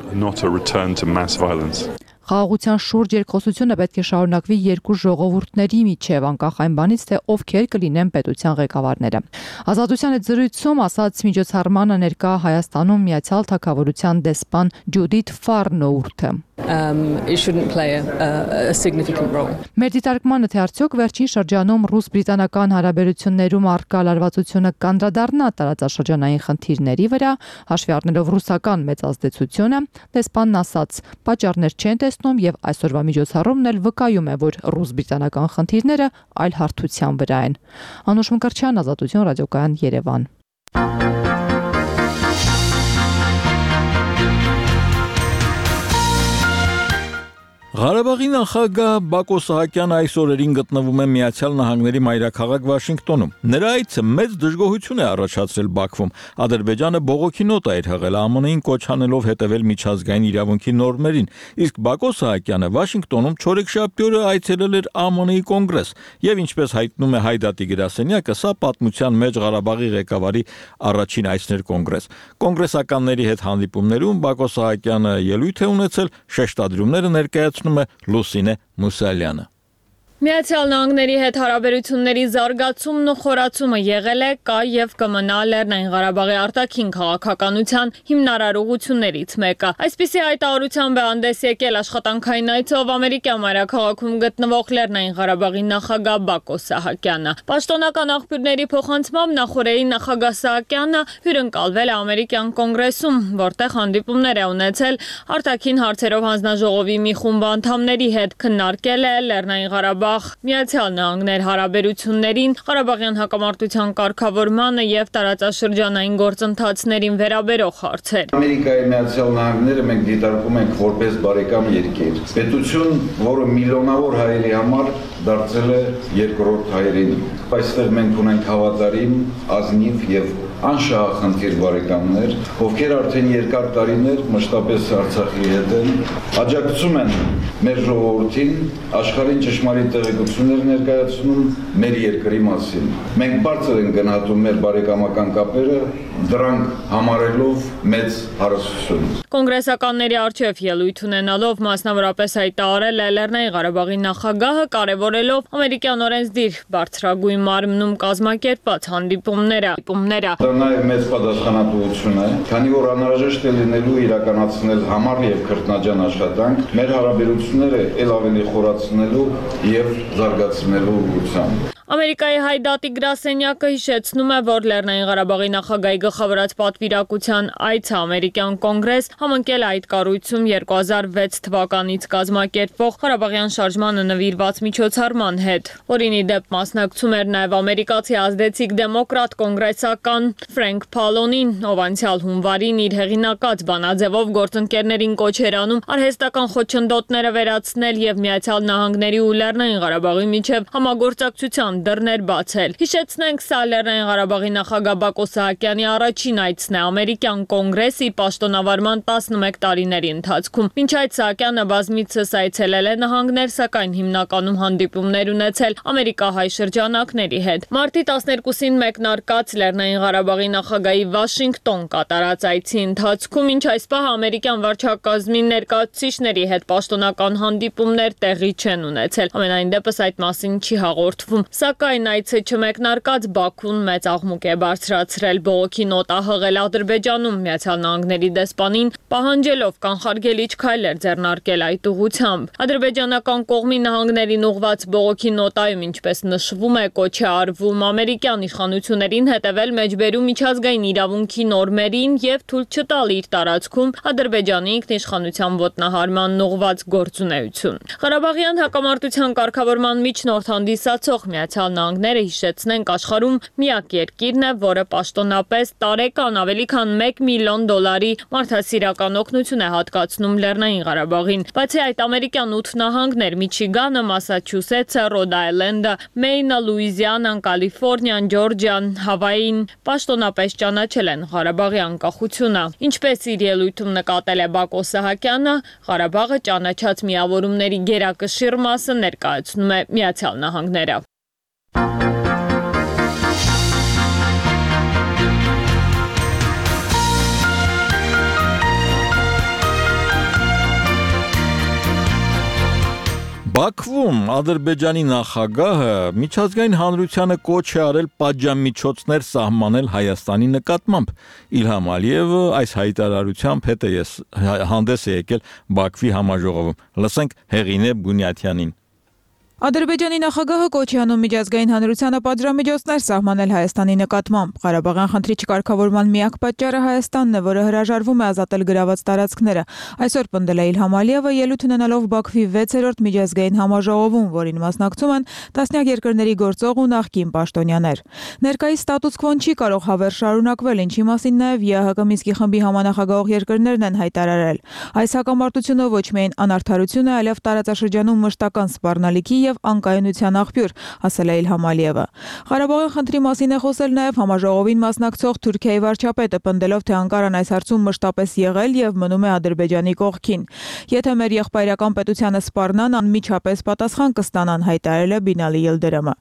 Խաղաղության շուրջ երկխոսությունը պետք է շարունակվի երկու ժողովուրդների միջև, անկախ այն բանից, թե ովքեր կլինեն պետության ղեկավարները։ Ազատության հետ զրույցում ասաց միջոցառմանը ներկա Հայաստանում Միացյալ Թագավորության դեսպան Ջուդիթ Ֆարնոուրթը։ Մեր դիտարկմանը, թե արդյոք վերջին շրջանում ռուս-բրիտանական հարաբերություններում առկա լարվածությունը կանդրադառնա տարածաշրջանային խնդիրների վրա, հաշվի առնելով ռուսական մեծ ազդեցությունը, դեսպանն ասաց, պատճառներ չեն տեսնում եւ այսօրվա միջոցառումն էլ վկայում է, որ ռուս-բրիտանական խնդիրները այլ հարթության վրա են։ Անուշ Մկրտչյան, Ազատություն, ռադիոկայան, Երևան։ Ղարաբաղի նախագահ Բակո Սահակյանը այս օրերին գտնվում է Միացյալ Նահանգների մայրաքաղաք Վաշինգտոնում։ Նրա այցը մեծ դժգոհություն է առաջացրել Բաքվում։ Ադրբեջանը բողոքի նոտ է հղել Է Մը-ին կոչ անելով հետևել միջազգային իրավունքի նորմերին, իսկ Բակո Սահակյանը Վաշինգտոնում չորեքշաբթի օրը այցելել էր Է Մը-ի կոնգրես, եւ ինչպես հայտնում է Հայդատի գրասենյակը, սա պատմության մեջ Ղարաբաղի ղեկավարի առաջին այցն էր կոնգրես։ Կոնգրեսականների հետ հանդիպումներում Բակո Սահակյանը ելույթ է ունեցել, շեշտադրումները ներկայացնում է Լուսինե Մուսալյանը։ Միացյալ Նահանգների հետ հարաբերությունների զարգացումն ու խորացումը եղել է, կա եւ կմնա Լեռնային Ղարաբաղի արտաքին քաղաքականության հիմնարար ուղղություններից մեկը։ Այսպիսի հայտարարությամբ է հանդես եկել աշխատանքային այցով ամերիկյան մայրաքաղաքում գտնվող Լեռնային Ղարաբաղի նախագահ Բակո Սահակյանը։ Պաշտոնական աղբյուրների փոխանցմամբ նախորդի նախագահ Սահակյանը հյուրընկալվել է ամերիկյան կոնգրեսում, որտեղ հանդիպումներ է ունեցել արտաքին հարցերով հանձնաժողովի մի խումբ անդամների հետ, քննարկել է Լեռնային Ղարաբաղ Միացյալ Նահանգներ հարաբերություններին, Ղարաբաղյան հակամարտության կարգավորմանը եւ տարածաշրջանային գործընթացներին վերաբերող հարցեր։ Ամերիկայի Միացյալ Նահանգները մենք դիտարկում ենք որպես բարեկամ երկիր։ Պետություն, որը միլիոնավոր հայերի համար դարձել է երկրորդ հայերին։ Այստեղ մենք ունենք հավատարիմ, ազնիվ եւ անշահախնդիր բարեկամներ, ովքեր արդեն երկար տարիներ մշտապես Արցախի հետ են, աջակցում են մեր ժողովրդին, աշխարհին ճշմարիտ տեղեկություններ ներկայացնում մեր երկրի մասին։ Մենք բարձր ենք գնահատում մեր բարեկամական կապերը, դրանք համարելով մեծ հարստություն։ Կոնգրեսականների առջև ելույթ ունենալով մասնավորապես հայտարարել է Լեռնային Ղարաբաղի նախագահը, կարևորելով ամերիկյան օրենսդիր բարձրագույն մարմնում կազմակերպած հանդիպումները։ Դա նաև մեծ պատասխանատվություն է, քանի որ անհրաժեշտ է լինելու իրականացնել համառ եւ քրտնաջան աշխատանք մեր հարաբերությունները ել ավելի խորացնելու եւ զարգացնելու ուղղությամբ։ Ամերիկայի Հայդատի գրասենյակը հիշեցնում է, որ Լեռնային Ղարաբաղի նախագահի գլխավորած պատվիրակության այցը ամերիկյան կոնգրես համընկել այդ կառույցում երկու հազար վեց թվականից կազմակերպվող Ղարաբաղյան շարժմանը նվիրված միջոցառման հետ, որին ի դեպ մասնակցում էր նաև ամերիկացի ազդեցիկ դեմոկրատ կոնգրեսական Ֆրենկ Փալոնին, ով անցյալ հունվարին իր հեղինակած բանաձևով գործընկերներին կոչ էր անում արհեստական խոչընդոտները վերացնել եւ Միացյալ Նահանգների ու Լեռնային Ղարաբաղի միջև համագործակցության հանդիպման դռներ բացել։ Հիշեցնենք, սա Լեռնային Ղարաբաղի նախագահ Բակո Սահակյանի առաջին այցն է ամերիկյան կոնգրեսի պաշտոնավարման տասնմեկ տարիների ընթացքում։ Մինչ այդ Սահակյանը բազմիցս այցելել է նահանգներ, սակայն հիմնականում հանդիպումներ ունեցել ամերիկահայ շրջանակների հետ։ Մարտի տասներկուսին մեկնարկած Լեռնային Ղարաբաղի նախագահի Վաշինգտոն կատարած այցի ընթացքում, ինչ այս պահ ամերիկյան վարչակազմի ներկայացուցիչների հետ պաշտոնական հանդիպումներ տեղի չեն ունեցել։ Ամենայն դեպս այդ մասին չի հաղորդվում։ Սակայն այցը չմեկնարկած Բաքուն մեծ աղմուկ է բարձրացրել, բողոքի նոտա հղել Ադրբեջանում Միացյալ Նահանգների դեսպանին, պահանջելով կանխարգելիչ քայլեր ձեռնարկել այդ ուղղությամբ։ Ադրբեջանական կողմի նահանգներին ուղղված բողոքի նոտայում, ինչպես նշվում է, կոչ է արվում ամերիկյան իշխանություններին հետևել մեջբերում միջազգային իրավունքի նորմերին եւ թույլ չտալ իր տարածքում Ադրբեջանի ինքնիշխանության ոտնահարման ուղղված գործունեություն։ Ղարաբաղյան հակամարտության կարգավորման միջնորդ հանդիսացող Միացյալ Նահանգները, հիշեցնենք, աշխարհում միակ երկիրն է, որը պաշտոնապես տարեկան ավելի քան մեկ միլիոն դոլարի մարդասիրական օգնություն է հատկացնում Լեռնային Ղարաբաղին։ Բացի այդ, ամերիկյան ութ նահանգներ՝ Միչիգանը, Մասաչուսեթսը, Ռոդ Այլենդը, Մեյնը, Լուիզիանան, Կալիֆոռնիան, Ջորջիան, Հավային պաշտոնապես ճանաչել են Ղարաբաղի անկախությունը։ Ինչպես իր ելույթում նկատել է Բակո Սահակյանը, Ղարաբաղը ճանաչած միավորումների գերակշիռ մասը ներկայացնում է Միացյալ Նահանգները։ Բաքվում Ադրբեջանի նախագահը միջազգային հանրությանը կոչ է արել պատժամիջոցներ սահմանել Հայաստանի նկատմամբ։ Իլհամ Ալիևը այս հայտարարությամբ հետ է հանդես է եկել Բաքվի համաժողովում։ Լսենք Հեղինե Բունյաթյանին։ Ադրբեջանի նախագահը կոչ է անում միջազգային հանրությանը պատժամիջոցներ սահմանել Հայաստանի նկատմամբ։ Ղարաբաղյան խնդրի չկարգավորման միակ պատճառը Հայաստանն է, որը հրաժարվում է ազատել գրաված տարածքները։ Այսօր պնդել է Իլհամ Ալիևը ելույթ ունենալով Բաքվի վեցերորդ միջազգային համաժողովում, որին մասնակցում են տասնյակ երկրների գործող ու նախկին պաշտոնյաներ։ Ներկայիս ստատուս քվոն չի կարող հավերժ շարունակվել, ինչի մասին նաև ԵԱՀԿ Մինսկի խմբի համանախագահող երկրներն են հայտարարել։ Այս հակամարտությունը ոչ միայն անարդարություն է, այլև տարածաշրջանում մշտական սպառնալիքի եւ անկայունության աղբյուր, ասել է Իլհամ Ալիևը։ Ղարաբաղյան խնդրի մասին է խոսել նաև համաժողովին մասնակցող Թուրքիայի վարչապետը, պնդելով, թե Անկարան այս հարցում մշտապես եղել եւ մնում է Ադրբեջանի կողքին։ Եթե մեր եղբայրական պետությանը սպառնան, անմիջապես պատասխան կստանան, հայտարարել է Բինալի Ելդերամը։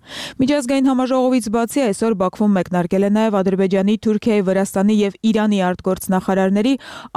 Միջազգային համաժողովից բացի այսօր Բաքվում մեկնարկել է նաև Ադրբեջանի, Թուրքիայի, Վրաստանի եւ Իրանի արտգործնախարարների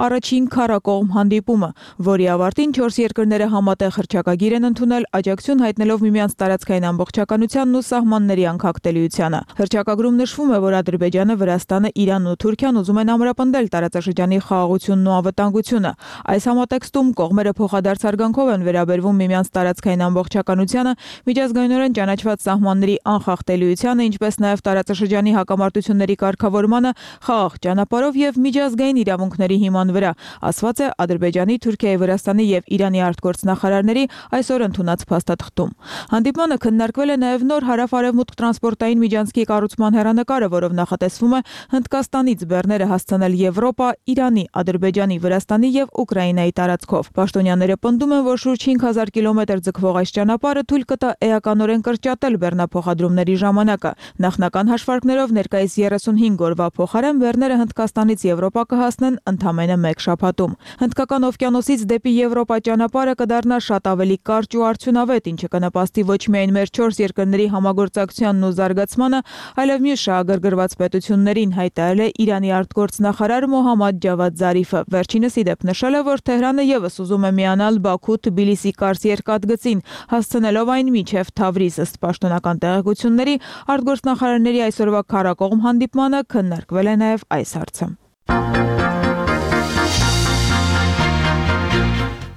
առաջին քառակողմ հանդիպումը, որի ավարտին չորս երկրները համատեղ հռչակագիր են ընդունել, աջակցություն հայտնելով միմյանց տարածքային ամբողջականությանն ու սահմանների անկախտելիությանը։ Հռչակագրում նշվում է, որ Ադրբեջանը, Վրաստանը, Իրանն ու Թուրքիան ուզում են ամրապնդել տարածաշրջանի խաղաղությունն ու անվտանգությունը։ Այս համատեքստում կողմերը փոխադարձ արգանքով են վերաբերվում միմյանց տարածքային ամբողջականությանը, միջազգայինորեն ճանաչված սահմանների անխախտելիությանը, ինչպես նաև տարածաշրջանի հակամարտությունների կարգավորմանը խաղաղ ճանապարհով եւ միջազգային իրավունքների հիման վրա, ասված է Ադրբեջանի, Թուրքիայի, Վրաստանի եւ Իրանի արտգործնախարարների այսօր ընդունած փաստաթղթում։ Հանդիպմանը քննարկվել է նաև նոր հարավ-արևմուտք տրանսպորտային միջանցքի կառուցման հեռանկարը, որով նախատեսվում է Հնդկաստանից բեռները հասցնել Եվրոպա, Իրանի, Ադրբեջանի, Վրաստանի եւ Ուկրաինայի տարածքով։ Պաշտոնյաները պնդում են, որ շուրջ հինգ հազար կիլոմետր ձգվող այս ճանապարհը թույլ կտա էականորեն կրճատել բեռնափոխադրումների ժամանակը։ Նախնական հաշվարկներով ներկայիս երեսունհինգ օրվա փոխարեն բեռները Հնդկաստանից Եվրոպա կհասնեն ընդամենը մեկ շաբաթում։ Հնդկական օվկիանոսից դեպի Եվրոպա ճանապարհը կդառնա շատ ավելի կարճ ու արդյունավետ, ինչը կնպաստի ոչ միայն մեր չորս երկրների համագործակցությանն ու զարգացմանը, այլև մյուս շահագրգռված պետություններին, հայտարարել է Իրանի արտգործնախարար Մոհամմադ Ջավադ Զարիֆը։ Վերջինս ի դեպ նշել է, որ Թեհրանը եւս ուզում է միանալ Բաքու-Թբիլիսի-Կարս երկաթգծին, հասցնելով այն մինչև Թավրիզ։ Ըստ պաշտոնական տեղեկությունների, արտգործնախարարների այսօրվա քառակողմ հանդիպմանը քննարկվել է նաև այս հարցը։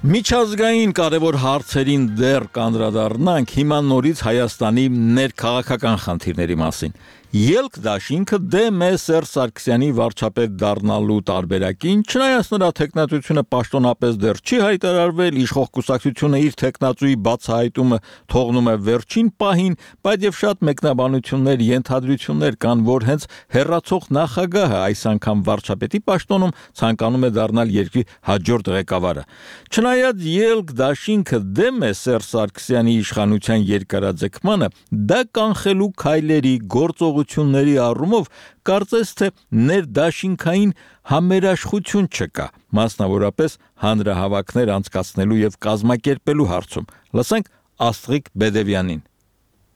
Միջազգային կարևոր հարցերին դեռ կանդրադառնանք հիմա նորից Հայաստանի ներքաղաքական խնդիրների մասին։ Ելք դաշինքը դեմ է Սերժ Սարգսյանի վարչապետ դառնալու տարբերակին, չնայած նրա թեկնածությունը պաշտոնապես դեռ չի հայտարարվել, իշխող կուսակցությունը իր թեկնածուի բացահայտումը թողնում է վերջին պահին, բայց եւ շատ մեկնաբանություններ, ենթադրություններ կան, որ հենց հերացող նախագահը այս անգամ վարչապետի պաշտոնում ցանկանում է դառնալ երկրի հաջորդ ղեկավարը։ Չնայած ելք դաշինքը դեմ է Սերժ Սարգսյանի իշխանության երկարաձգմանը, դա կանխելու քայլերի գործող ությունների առումով կարծես թե ներդաշինքային համերաշխություն չկա, մասնավորապես հանրահավաքներ անցկացնելու եւ կազմակերպելու հարցում։ Լսենք Աստղիկ Բեդևյանին։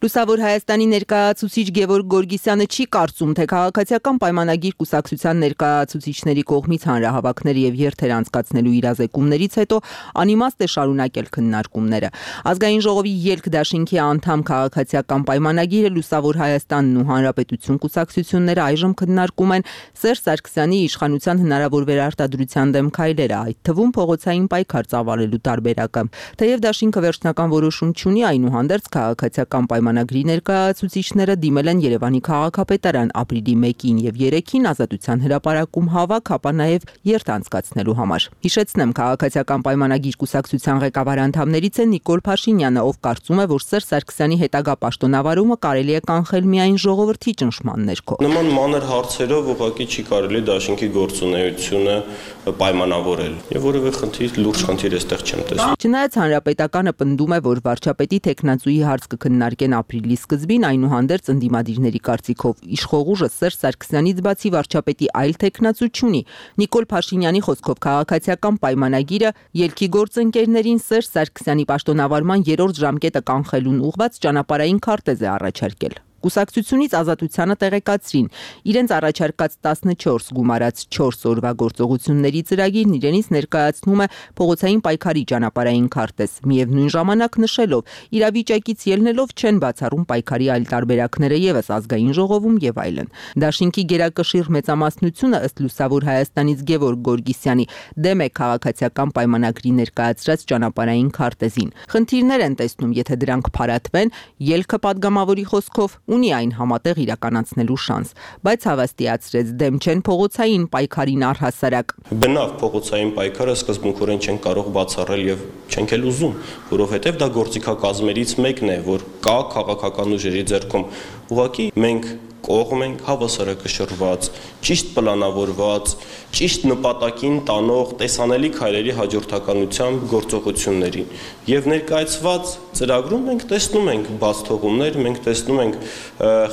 Լուսավոր Հայաստանի ներկայացուցիչ Գևորգ Գորգիսյանը չի կարծում, թե քաղաքացիական պայմանագիր կուսակցության ներկայացուցիչների կողմից հանրահավաքներ եւ երթեր անցկացնելու իրազեկումներից հետո անիմաստ է շարունակել քննարկումները։ Ազգային ժողովի ելք դաշինքի անդամ քաղաքացիական պայմանագիրը Լուսավոր Հայաստանն ու Հանրապետություն կուսակցությունները այժմ քննարկում են Սերժ Սարգսյանի իշխանության հնարավոր վերարտադրության դեմ քայլերը, այդ թվում փողոցային պայքար ծավալելու տարբերակը։ Թեև դաշինքը վերջնական որոշում չունի, այնուհանդերձ քաղաքացիական պայմանագիրը Մանագրի ներկայացուցիչները դիմել են Երևանի քաղաքապետարան ապրիլի մեկին եւ երեքին ազատության հրապարակում հավաք, ապա նաեւ երթ անցկացնելու համար։ Հիշեցնեմ, քաղաքացիական պայմանագիր կուսակցության ղեկավար անդամներից է Նիկոլ Փաշինյանը, ով կարծում է, որ Սերժ Սարգսյանի հետագա պաշտոնավարումը կարելի է կանխել միայն ժողովրդի ճնշման ներքո։ Նման մանր հարցերով ուղղակի չի կարելի դաշինքի գործունեությունը պայմանավորել եւ որևէ խնդիր, լուրջ խնդիր այստեղ չեմ տեսնում։ Չնայած հանրապետականը պնդում է, որ վարչապետի թեկնածուի հարց կքննարկեն ապրիլի սկզբին, այնուհանդերձ ընդդիմադիրների կարծիքով իշխող ուժը Սերժ Սարգսյանից բացի վարչապետի այլ թեկնածու չունի։ Նիկոլ Փաշինյանի խոսքով քաղաքացիական պայմանագիրը ելքի գործընկերներին Սերժ Սարգսյանի պաշտոնավարման երրորդ ժամկետը կանխելուն ուղղված ճանապարհային քարտեզ է առաջարկել։ Կուսակցությունից ազատությանը տեղեկացրին, իրենց առաջարկած տասնչորս գումարած չորս օրվա գործողությունների ծրագիրն իրենից ներկայացնում է փողոցային պայքարի ճանապարհային քարտեզ, միևնույն ժամանակ նշելով, իրավիճակից ելնելով չեն բացառում պայքարի այլ տարբերակները եւս ազգային ժողովում եւ այլն։ Դաշինքի գերակշիռ մեծամասնությունը ըստ Լուսավոր Հայաստանից Գևորգ Գորգիսյանի դեմ է քաղաքացիական պայմանագրի ներկայացրած ճանապարհային քարտեզին։ Խնդիրներ են տեսնում, եթե դրանք փարատվեն, ելքը падգամավորի խոսքով ունի այն համատեղ իրականացնելու շանս, բայց հավաստիացրեց դեմ չեն փողոցային պայքարին առհասարակ։ Բնավ փողոցային պայքարը սկզբունքորեն չեն կարող բացառել եւ չենք էլ ուզում, որովհետեւ դա գործիքակազմերից մեկն է, որ կա քաղաքական ուժերի ձեռքում։ Ուղղակի մենք կողմ ենք հավասարակշռված, ճիշտ պլանավորված, ճիշտ նպատակին տանող տեսանելի քայլերի հաջորդականությամբ գործողությունների եւ ներկայացված ծրագրում մենք տեսնում ենք բաց թողումներ, մենք տեսնում ենք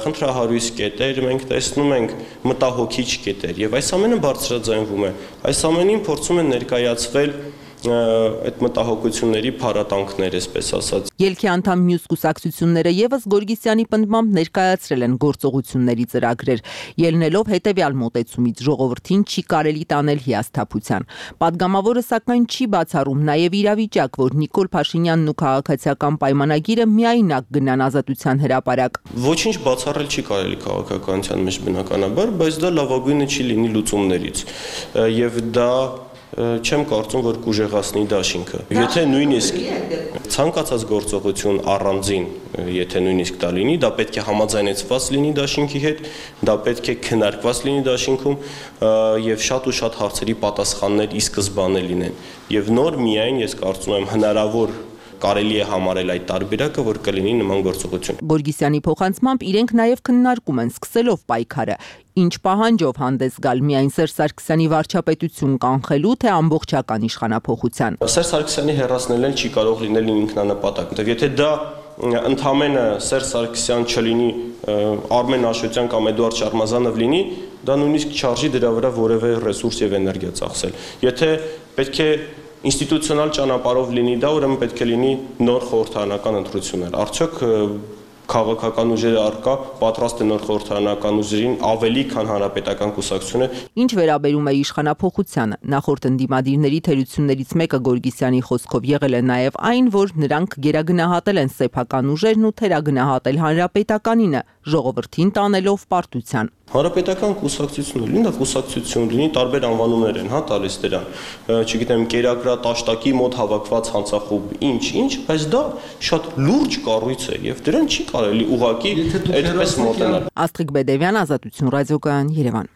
խնդրահարույց կետեր, մենք տեսնում ենք մտահոգիչ կետեր եւ այս ամենը բարձրաձայնվում է։ Այս ամենին փորձում են ներկայացվել այդ մտահոգությունների փառատանքներ, այսպես ասած։ Ելքի անդամ մյուս կուսակցությունները եւս Գորգիսյանի պնդմամբ ներկայացրել են գործողությունների ծրագրեր, ելնելով հետեւյալ մոտեցումից՝ ժողովրդին չի կարելի տանել հիասթափության։ Պատգամավորը սակայն չի բացառում նաեւ իրավիճակ, որ Նիկոլ Փաշինյանն ու քաղաքացիական պայմանագիրը միայնակ գնան ազատության հրապարակ։ Ոչինչ բացառել չի կարելի քաղաքականության մեջ բնականաբար, բայց դա լավագույնը չի լինի լուծումներից։ Եվ դա չեմ կարծում, որ կուժեղացնի դաշինքը։ Եթե նույնիսկ ցանկացած գործողություն առանձին, եթե նույնիսկ դա լինի, դա պետք է համաձայնեցված լինի դաշինքի հետ, դա պետք է քննարկված լինի դաշինքում եւ շատ ու շատ հարցերի պատասխաններ ի սկզբանե լինեն։ Եվ նոր միայն ես կարծում եմ հնարավոր կարելի է համարել այդ տարբերակը, որ կլինի նման գործողություն։ Գորգիսյանի փոխանցմամբ իրենք նաև քննարկում են սկսելով պայքարը, ինչ պահանջով հանդես գալ միայն Սերժ Սարգսյանի վարչապետություն կանխելու, թե ամբողջական իշխանափոխության։ Սերժ Սարգսյանի հեռացնելն չի կարող լինել ինքնանպատակ, եթե դա ընդամենը Սերժ Սարգսյան չլինի, Արմեն Աշոտյան կամ Էդուարդ Շարմազանով լինի, դա նույնիսկ չարժի դրա վրա որևէ ռեսուրս եւ էներգիա ծախսել։ Եթե պետք է ինստիտուցիոնալ ճանապարհով լինի դա, ուրեմն պետք է լինի նոր խորհրդարանական ընտրություններ։ Արդյոք քաղաքական ուժերը առկա պատրաստ է նոր խորհրդարանական ուժերին ավելի քան հանրապետական կուսակցությունը։ Ինչ վերաբերում է իշխանափոխությանը, նախորդ ընդդիմադիրների թերություններից մեկը Գորգիսյանի խոսքով եղել է նաև այն, որ նրանք գերագնահատել են սեփական ուժերն ու թերագնահատել հանրապետականինը, ժողովրդին տանելով պարտության։ Հանրապետական կուսակցություն լինի, դա կուսակցություն լինի, տարբեր անվանումներ են, հա, տալիս դրան։ Չգիտեմ, կերակրատաշտակի մոտ հավաքված հանցախումբ, ինչ-ինչ, բայց դա շատ լուրջ կառույց է եւ դրան չի կարելի ուղղակի այդպես մոտենալ։ Աստղիկ Բեդևյան, Ազատություն ռադիոկայան, Երևան։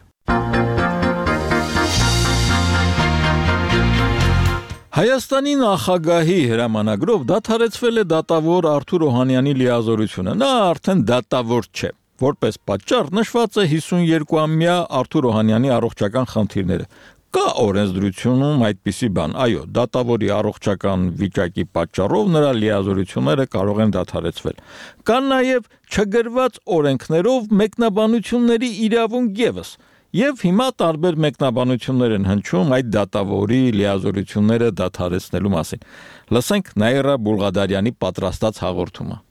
Հայաստանի նախագահի հրամանագրով դադարեցվել է դատավոր Արթուր Օհանյանի լիազորությունը։ Նա արդեն դատավոր չէ։ Որպես պատճառ նշված է հիսունյոթամյա Արթուր Օհանյանի առողջական խնդիրները։ Կա օրենսդրությունում այդպիսի բան։ Այո, դատավորի առողջական վիճակի պատճառով նրա լիազորությունները կարող են դադարեցվել։ Կան նաև չգրված օրենքներով մեկնաբանությունների իրավունք ևս։ Եվ հիմա տարբեր մեկնաբանություններ են հնչում այդ դատավորի լիազորությունները դադարեցնելու մասին։ Լսենք Նաիրա Բուլղադարյանի պատրաստած հաղորդումը։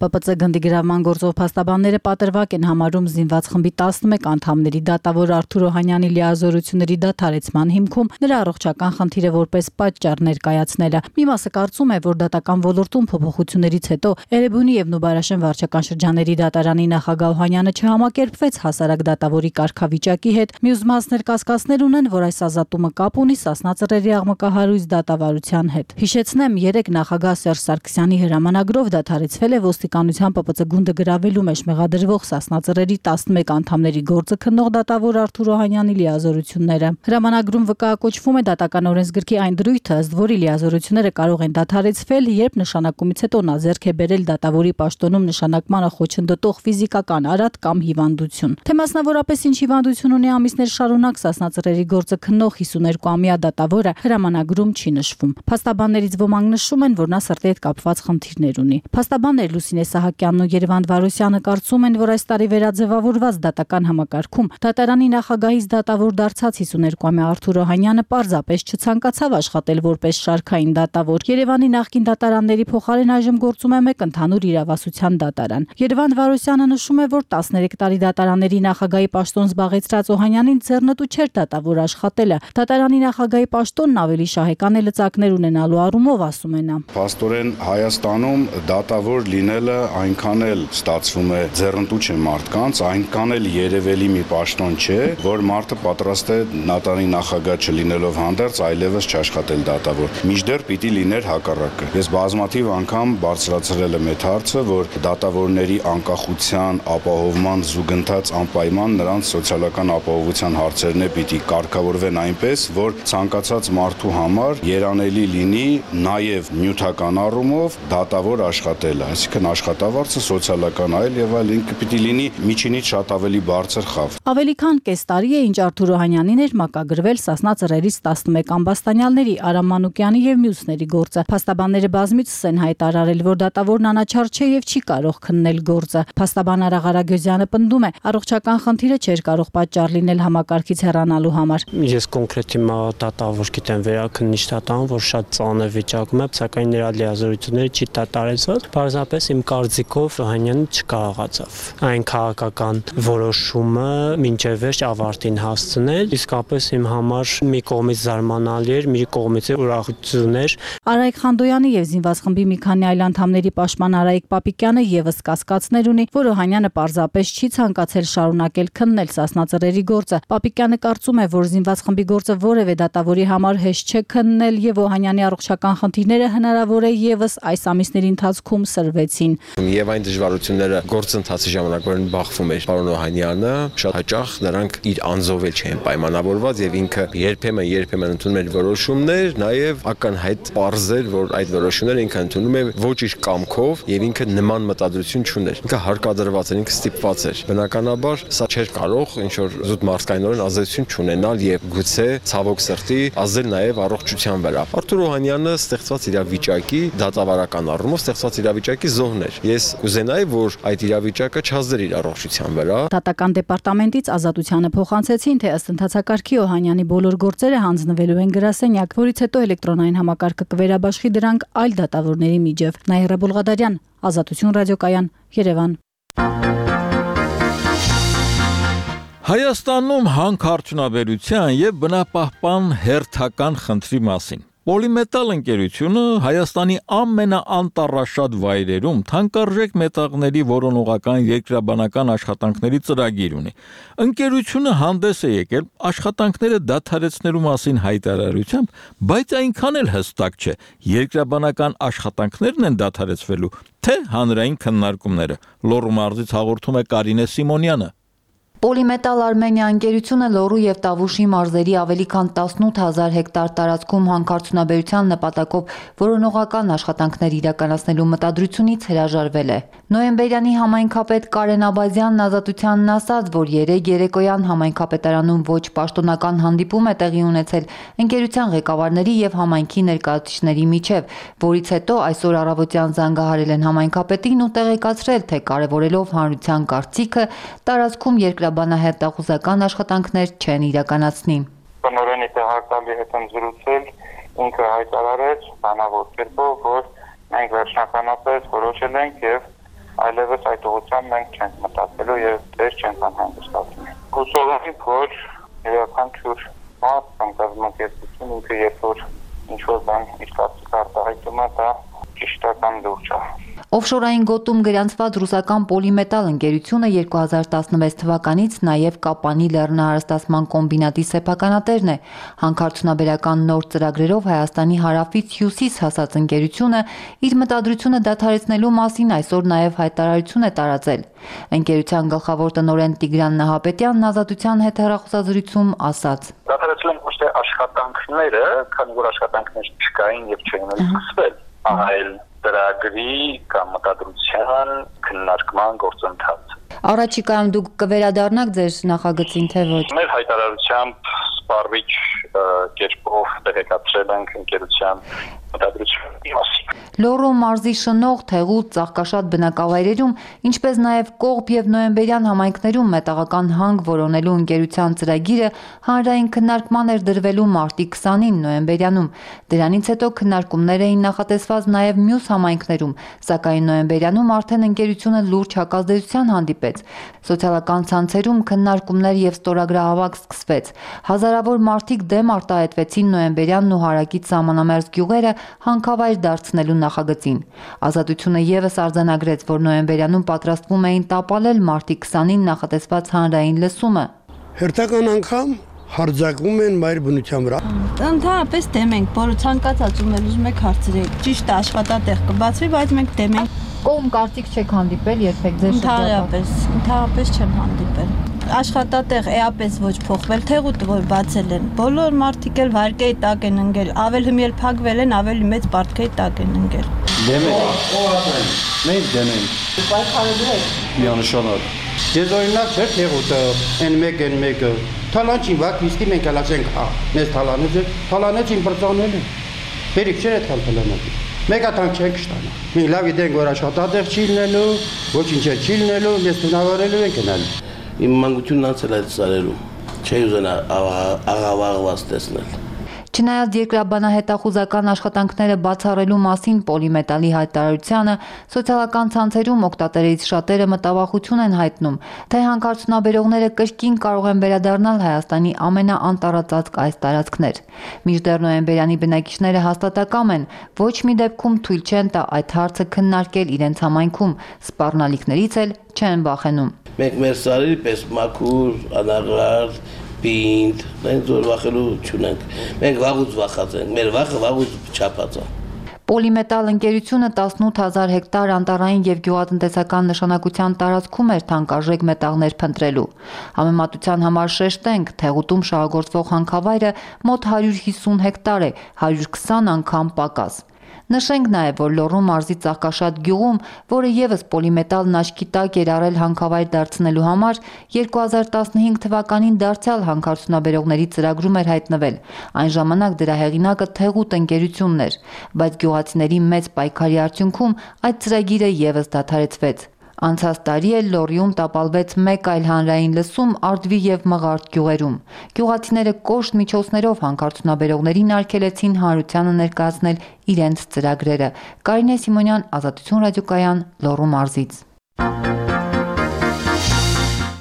Պ Պ Ց գնդի գրավման գործով փաստաբանները պատրվակ են համարում զինված խմբի տասնմեկ անդամների դատավոր Արթուր Օհանյանի լիազորությունների դադարեցման հիմքում նրա առողջական խնդիրը որպես պատճառ ներկայացնելը։ Մի մասը կարծում է, որ դատական ոլորտում փոփոխություններից հետո Էրեբունի եւ Նուբարաշեն վարչական շրջանների դատարանի նախագահ Օհանյանը չհամակերպվեց հասարակ դատավորի կարգավիճակի հետ։ Մյուս մասներ կասկածներ ունեն, որ այս ազատումը կապ ունի Սասնա Ծռերի աղմկահարույց դատավարության հետ։ Հիշեցնեմ, երեք նախագահ Սերժ Սարգսյանի հրամանագրով դադարեցվել է ոստիկանության Պ Պ Ց գունդը գրավելու մեջ մեղադրվող Սասնա Ծռերի տասնմեկ անդամների գործը քննող դատավոր Արթուր Օհանյանի լիազորությունները։ Հրամանագրում վկայակոչվում է դատական օրենսգրքի այն դրույթը, ըստ որի լիազորությունները կարող են դադարեցվել, երբ նշանակումից հետո նա ձեռք է բերել դատավորի պաշտոնում նշանակմանը խոչընդոտող ֆիզիկական արատ կամ հիվանդություն։ Թե մասնավորապես ինչ հիվանդություն ունի ամիսներ շարունակ Սասնա Ծռերի գործը քննող հիսուներկուամյա դատավորը հրամանագրում չի նշվում։ Փաստաբաններից ոմանք նշում են, որ նա սրտի հետ կապված խնդիրներ ունի։ Փաստաբաններ Լուսինե Սահակյանն ու Երևան Վարոսյանը կարծում են, որ այս տարի վերաձևավորված դատական համակարգում դատարանի նախագահից դատավոր դարձած հիսուներկուամյա Արթուր Օհանյանը պարզապես չցանկացավ աշխատել որպես շարքային դատավոր։ Երևանի նախկին դատարանների փոխարեն այժմ գործում է մեկ ընդհանուր իրավասության դատարան։ Երևան Վարոսյանը նշում է, որ տասներեք տարի դատարանների նախագահի պաշտոն զբաղեցրած Օհանյանին ձեռնտու չէր դատավոր աշխատելը։ Դատարանի նախագահի պաշտոնն ավելի շահեկան է լծակներ ունենալու առումով, ասում է նա։ Փաստորեն Հայաստանում դատավոր լինելը այնքան էլ ստացվում է ձեռնտու չէ մարդկանց, այնքան էլ երևելի մի պաշտոն չէ, որ մարդը պատրաստ է դատարանի նախագահ չլինելով հանդերձ այլևս չաշխատել դատավոր։ Մինչդեռ պիտի լիներ հակառակը։ Ես բազմաթիվ անգամ բարձրացրել եմ այդ հարցը, որ դատավորների անկախության ապահովման զուգընթաց անպայման նրանց սոցիալական ապահովության հարցերն է պիտի կարգավորվեն այնպես, որ ցանկացած մարդու համար երանելի լինի նաև նյութական առումով դատավոր աշխատելը, այսինքն աշխատավարձը սոցիալական այլ եւ այլ ինքը պիտի լինի միջինից շատ ավելի բարձր խավ։ Ավելի քան կես տարի է, ինչ Արթուր Օհանյանին էր մակագրվել Սասնա Ծռերից տասնմեկ ամբաստանյալների Արամ Մանուկյանի եւ մյուսների գործը։ Փաստաբանները բազմիցս են հայտարարել, որ դատավորն անաչառ չէ եւ չի կարող քննել գործը։ Փաստաբան Արա Ղարագյուզյանը պնդում է, առողջական խնդիրը չէր կարող պատճառ լինել համակարգից հեռանալու համար։ Ես կոնկրետ հիմա դատավոր գիտեմ վերաքննիչ դատան, որ շատ ծանր վիճակում է, սակայն նրա լիազորությունները չի դատարեցված։ Պարզապես իմ կարծիքով Օհանյանը չկարողացավ այն քաղաքական որոշումը մինչև վերջ ավարտին հասցնել։ Իսկապես իմ համար մի կողմից զարմանալի էր, մի կողմից ուրախություն էր։ Արայք Խանդոյանի եւ զինված խմբի մի քանի այլ անդամների պաշտպան Արայիկ Պապիկյանը եւս կասկածներ ունի, որ Օհանյանը պարզապես չի ցանկացել շարունակել քննել Սասնա Ծռերի գործը։ Պապիկյանը կարծում է, որ զինված խմբի գործը որևէ դատավորի համար հեշտ չէ քննել եւ Օհանյանի առողջական խնդիրները հնարավոր է եւս այս ամիսների ընթացքում սրվեցին։ Եվ այն դժվարությունները գործընթացի ժամանակ որն բախվում էր պարոն Օհանյանը, շատ հաճախ նրանք իր անձով էլ չեն պայմանավորված եւ ինքը երբեմն երբեմն ընդունում էր որոշումներ, նաեւ ակնհայտ պարզ էր, որ այդ որոշումները ինքը ընդունում է ոչ իր կամքով եւ ինքը նման մտադրություն չուներ։ Ինքը հարկադրված էր, ինքը ստիպված էր։ Բնականաբար սա չէր կարող ինչ որ զուտ մարդկայնորեն ազդեցություն չունենալ եւ գուցե ցավոք սրտի ազդել նաեւ առողջության վրա։ Արթուր Օհանյանը ստեղծված իրավիճակի դատավարական առումով ստեղծված իրավիճակի զոհն էր։ Ես կուզենայի, որ այդ իրավիճակը չազդեր իր առողջության վրա։ Դատական դեպարտամենտից Ազատությանը փոխանցեցին, թե ըստ ընթացակարգի Օհանյանի բոլոր գործերը հանձնվելու են գրասենյակ, որից հետո էլեկտրոնային համակարգը կվերաբաշխի դրանք այլ դատավորների միջև։ Նաիրա Բուլղադարյան, Ազատություն ռադիոկայան, Երևան։ Հայաստանում հանքարդյունաբերության եւ բնապահպան հերթական խնդրի մասին։ Պոլիմետալ ընկերությունը Հայաստանի ամենաանտառաշատ վայրերում թանկարժեք մետաղների որոնողական երկրաբանական աշխատանքների ծրագիր ունի։ Ընկերությունը հանդես է եկել աշխատանքները դադարեցնելու մասին հայտարարությամբ, բայց այնքան էլ հստակ չէ, երկրաբանական աշխատանքներն են դադարեցվելու, թե հանրային քննարկումները։ Լոռու մարզից հաղորդում է Կարինե Սիմոնյանը։ Պոլիմետալ Արմենիա ընկերությունը Լոռու եւ Տավուշի մարզերի ավելի քան տասնութ հազար հեկտար տարածքում հանքարդյունաբերության նպատակով որոնողական աշխատանքներ իրականացնելու մտադրությունից հրաժարվել է։ Նոյեմբերյանի համայնքապետ Կարեն Աբազյանն Ազատությանն ասաց, որ երեկ երեկոյան համայնքապետարանում ոչ պաշտոնական հանդիպում է տեղի ունեցել ընկերության ղեկավարների եւ համայնքի ներկայացուցիչների միջև, որից հետո այսօր առավոտյան զանգահարել են համայնքապետին ու տեղեկացրել, թե կարևորելով հանրության կարծիքը, տարածքում երկրաբանահետախուզական աշխատանքներ չեն իրականացնի։ Տնօրենի տեղակալի հետ եմ զրուցել, ինքը հայտարարեց բանավոր կերպով, որ մենք վերջնականապես որոշել ենք եւ այլևս այդ ուղղությամբ մենք չենք մտածելու եւ դեր չենք անհանգստացնի։ Հուսով եմ, որ յուրաքանչյուր մարդ կամ կազմակերպություն ինքը երբ որ ինչ-որ բան իր կարծիքը արտահայտում է, դա ճիշտական լուրջ է։ Օֆշորային գոտում գրանցված ռուսական պոլիմետալ ընկերությունը երկու հազար տասնվեց թվականից նաև Կապանի լեռնահարստացման կոմբինատի սեփականատերն է։ Հանքարդյունաբերական նոր ծրագրերով Հայաստանի հարավից հյուսիս հասած ընկերությունը իր մտադրությունը դադարեցնելու մասին այսօր նաև հայտարարություն է տարածել։ Ընկերության գլխավոր տնօրեն Տիգրան Նահապետյանն Ազատության հետ հեռախոսազրույցում ասաց. Դադարեցնել ոչ թե աշխատանքները, քանի որ աշխատանքներ չկային եւ չէին սկսվել, այլ ծրագրի կամ մտադրության քննարկման գործընթաց։ Առաջիկայում դուք կվերադառնաք ձեր նախագծին, թե ոչ։ Մեր հայտարարությամբ սպառվիչ կերպով տեղեկացրել ենք ընկերության մտադրությունների մասին։ Լոռու մարզի Շնող, Թեղուտ, Ծաղկաշատ բնակավայրերում, ինչպես նաև Կողբ եւ Նոյեմբերյան համայնքներում մետաղական հանք որոնելու ընկերության ծրագիրը հանրային քննարկման էր դրվելու մարտի քսանին Նոյեմբերյանում։ Դրանից հետո քննարկումներ էին նախատեսված նաև մյուս համայնքներում, սակայն Նոյեմբերյանում արդեն ընկերությունը լուրջ հակազդեցության հանդիպեց։ Սոցիալական ցանցերում քննարկումներ եւ ստորագրահավաք սկսվեց։ Հազարավոր մարդիկ դեմ արտահայտվեցին Նոյեմբերյանն ու հարակից սահմանամերձ գյուղերը հանքավայր դարձնելու նախագծին։ Ազատությունը եւս արձանագրեց, որ Նոյեմբերյանում պատրաստվում էին տապալել մարտի քսանին նախատեսված հանրային լսումը։ Հերթական անգամ հարձակվում են մայր բնության վրա։ Ընդհանրապես դեմ ենք, որը ցանկացած ում ուզում եք հարցրեք։ Ճիշտ է, աշխատատեղ կբացվի, բայց մենք դեմ ենք։ Կողմ կարծիք չեք հանդիպել երբեք ձեր շրջանում։ Ընդհանրապես չեմ հանդիպել։ Աշխատատեղ էապես ոչ փոխվել, Թեղուտը որ բացել են։ Բոլոր մարդիկ էլ վարկեի տակ են ընկել, ավելի հիմել փակվել են, ավելի մեծ պարտքեի տակ են ընկել։ Դեմ ենք։ Մենք դեմ ենք։ Պայքարելու եք։ Միանշանակ։ Ես օրինակ չէ Թեղուտը, N մեկ N մեկը, թալանչին վակ իսկի մենք հալացենք, հա, մեզ թալանեց, թալանեցին բրծանել են։ Բերիք չէ թալ թալանեցին։ Մեկ ատանք չենք շտանա։ Մենք լավ գիտենք, որ աշխատատեղ չի լինելու, ոչինչ չի լինելու, ես տնավորելու ենք գնալ։ Իմ մանկությունն անցել այդ սարերում, չի ուզենա աղավաղված տեսնել։ Չնայած երկրաբանահետախուզական աշխատանքները բացառելու մասին Պոլիմետալի հայտարարությանը, սոցիալական ցանցերում օգտատերերից շատերը մտավախություն են հայտնում, թե հանքարդյունաբերողները կրկին կարող են վերադառնալ Հայաստանի ամենաանտառածածկ այս տարածքներ։ Մինչդեռ Նոյեմբերյանի բնակիչները հաստատակամ են, ոչ մի դեպքում թույլ չեն տա այդ հարցը քննարկել իրենց համայնքում, սպառնալիքներից էլ չեն վախենում։ Մենք մեր սարերի պես մաքուր, անաղար, պինդ, մենք զոր վախելու չունենք, մենք վաղուց վախած ենք, մեր վախը վաղուց չափած է։ Պոլիմետալ ընկերությունը տասնութ հազար հեկտար անտառային եւ գյուղատնտեսական նշանակության տարածքում էր թանկարժեք մետաղներ փնտրելու։ Համեմատության համար շեշտենք, Թեղուտում շահագործվող հանքավայրը մոտ հարյուր հիսուն հեկտար է, հարյուր քսան անգամ պակաս։ Նշենք նաև, որ Լոռու մարզի Ծաղկաշատ գյուղում, որը եւս պոլիմետալն աչքի տակ էր առել հանքավայր դարձնելու համար, երկու հազար տասնհինգ թվականին դարձյալ հանքարդյունաբերողների ծրագրում էր հայտնվել։ Այն ժամանակ դրա հեղինակը Թեղուտ ընկերությունն էր, բայց գյուղացիների մեծ պայքարի արդյունքում այդ ծրագիրը եւս դադարեցվեց։ Անցած տարի էլ Լոռիում տապալվեց մեկ այլ հանրային լսում Արդվի եւ Մղարդ գյուղերում։ Գյուղացիները կոշտ միջոցներով հանքարդյունաբերողներին արգելեցին հանրությանը ներկայացնել իրենց ծրագրերը։ Կարինե Սիմոնյան, Ազատություն ռադիոկայան, Լոռու մարզից։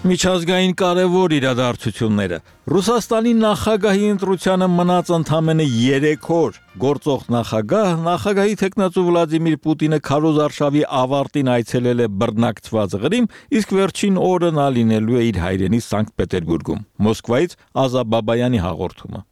Միջազգային կարևոր իրադարձությունները Ռուսաստանի նախագահի ընտրությանը մնաց ընդամենը երեք օր գործող նախագահ նախագահի թեկնածու Վլադիմիր Պուտինը քարոզարշավի ավարտին այցելել է բռնակցված Ղրիմ, իսկ վերջին օրը նա լինելու է իր հայրենի Սանկտ Պետերբուրգում։ Մոսկվայից Ազա Բաբայանի հաղորդումը։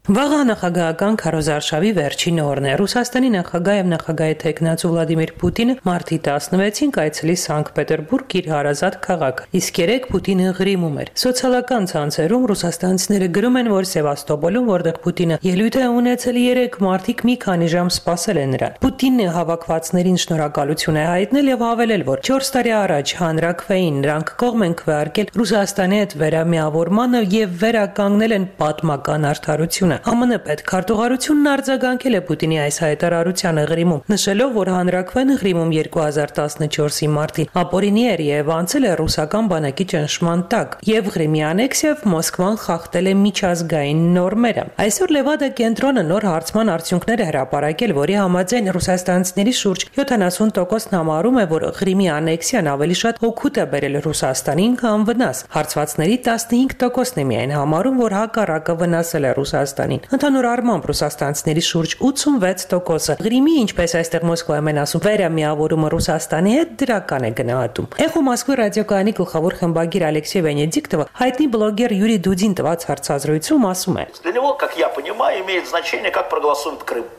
Վաղ նախագահական քարոզարշավի վերջին օրն է։ Ռուսաստանի նախագահ եւ նախագահի թեկնածու Վլադիմիր Պուտինը մարտի տասնվեցին կայցելի Սանկտ Պետերբուրգ իր հարազատ քաղաք, իսկ երեք Պուտինը Ղրիմում էր։ Սոցիալական ցանցերում ռուսաստանցիները գրում են, որ Սևաստոպոլում, որտեղ Պուտինը ելույթ է ունեցել, երեք մարդիկ մի քանի ժամ սպասել են նրան։ Պուտինն հավաքվածներին շնորհակալություն է հայտնել եւ հավելել, որ չորս տարի առաջ հանրակրվեին նրանք կողմ են քվեարկել Ռուսաստանի հետ վերամիավորմանը եւ վերականգնել են պատմական արդարությունը։ Է ԱՄՆ պետքարտուղարությունն արձագանքել է Պուտինի այս հայտարարությանը Ղրիմում, նշելով, որ հանրակրվեն Ղրիմում երկու հազար տասնչորսի մարտին ապօրինի էր եւ անցել է ռուսական բանակի ճնշման տակ, եւ Ղրիմի անեքսիայով Մոսկվան խախտել է միջազգային նորմերը։ Այսօր Լևադա կենտրոնը նոր հարցման արդյունքներ է հրապարակել, որի համաձայն ռուսաստանցիների շուրջ յոթանասուն տոկոսն համարում է, որ Ղրիմի անեքսիան ավելի շատ օգուտ է բերել Ռուսաստանին, քան վնաս։ Հարցվածների տասնհինգ տոկոսն է միայն համարում, որ հակառակը վնասել է Ռուսաստանին։ Ընդհանուր առմամբ ռուսաստանցիների շուրջ ութսունվեց տոկոսը Ղրիմի, ինչպես այստեղ Մոսկվայում են ասում, վերամիավորումը Ռուսաստանի հետ դրական է գնահատում։ Էխո Մոսկվի ռադիոկայանի գլխավոր խմբագիր Ալեքսեյ Վենեդիկտովը հայտնի բլոգեր Յուրի Դուդին տված հարցազրույցում ասում է.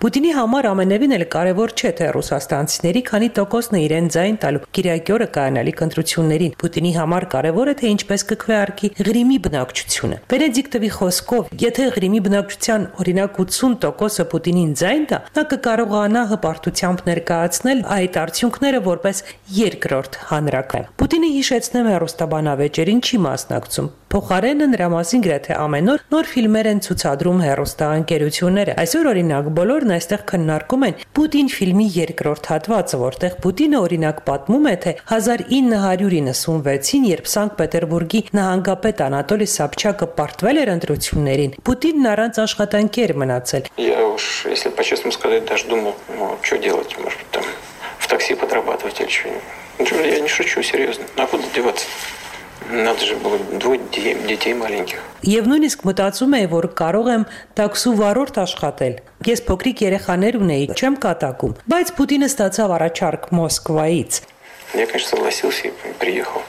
Պուտինի համար ամենևին էլ կարևոր չէ, թե ռուսաստանցիների քանի տոկոսն է իրեն ձայն տալու կիրակի օրը կայանալիք ընտրություններին։ Պուտինի համար կարևոր է, թե ինչպես կքվեարկի Ղրիմի բնակչությունը։ Վենեդիկտովի խոսքով, եթե Ղրիմի բնակչության օրինակ ութսուն տոկոսը Պուտինին ձայն տա, նա կկարողանա հպարտությամբ ներկայացնել այդ արդյունքները որպես երկրորդ հանրակրվեն։ Պուտինը հիշեցնում է հեռուստաբանավեճերին չի մասնակցում։ Փոխարենը նրա մասին գրեթե ամեն օր նոր ֆիլմեր են ցուցադրում հեռուստաընկերությունները։ Այսօր օրինակ բոլորն այստեղ քննարկում են Պուտին ֆիլմի երկրորդ հատվածը, որտեղ Պուտինը օրինակ պատմում է, թե հազար ինը հարյուր իննսունվեցին, երբ Սանկտ Պետերբուրգի նահանգապետ Անատոլի Սաբչակը պարտվել էր ընտրություններին, Պուտինն առանց աշխատանքի էր մնացել։ Я уж, если по-честному сказать, даже думал, ну, что делать, может, там, в такси подрабатывать или что-нибудь. Я не шучу, серьезно. А куда деваться? Надо же было двое детей маленьких. Եվ նույնիսկ мտածում էի, որ կարող եմ տաքսու վարորդ աշխատել։ Ես փոքրիկ երեխաներ ունեի, չեմ կատակում, բայց Պուտինը ստացավ առաջարկ Մոսկվայից։ Я, конечно, согласился и приехал.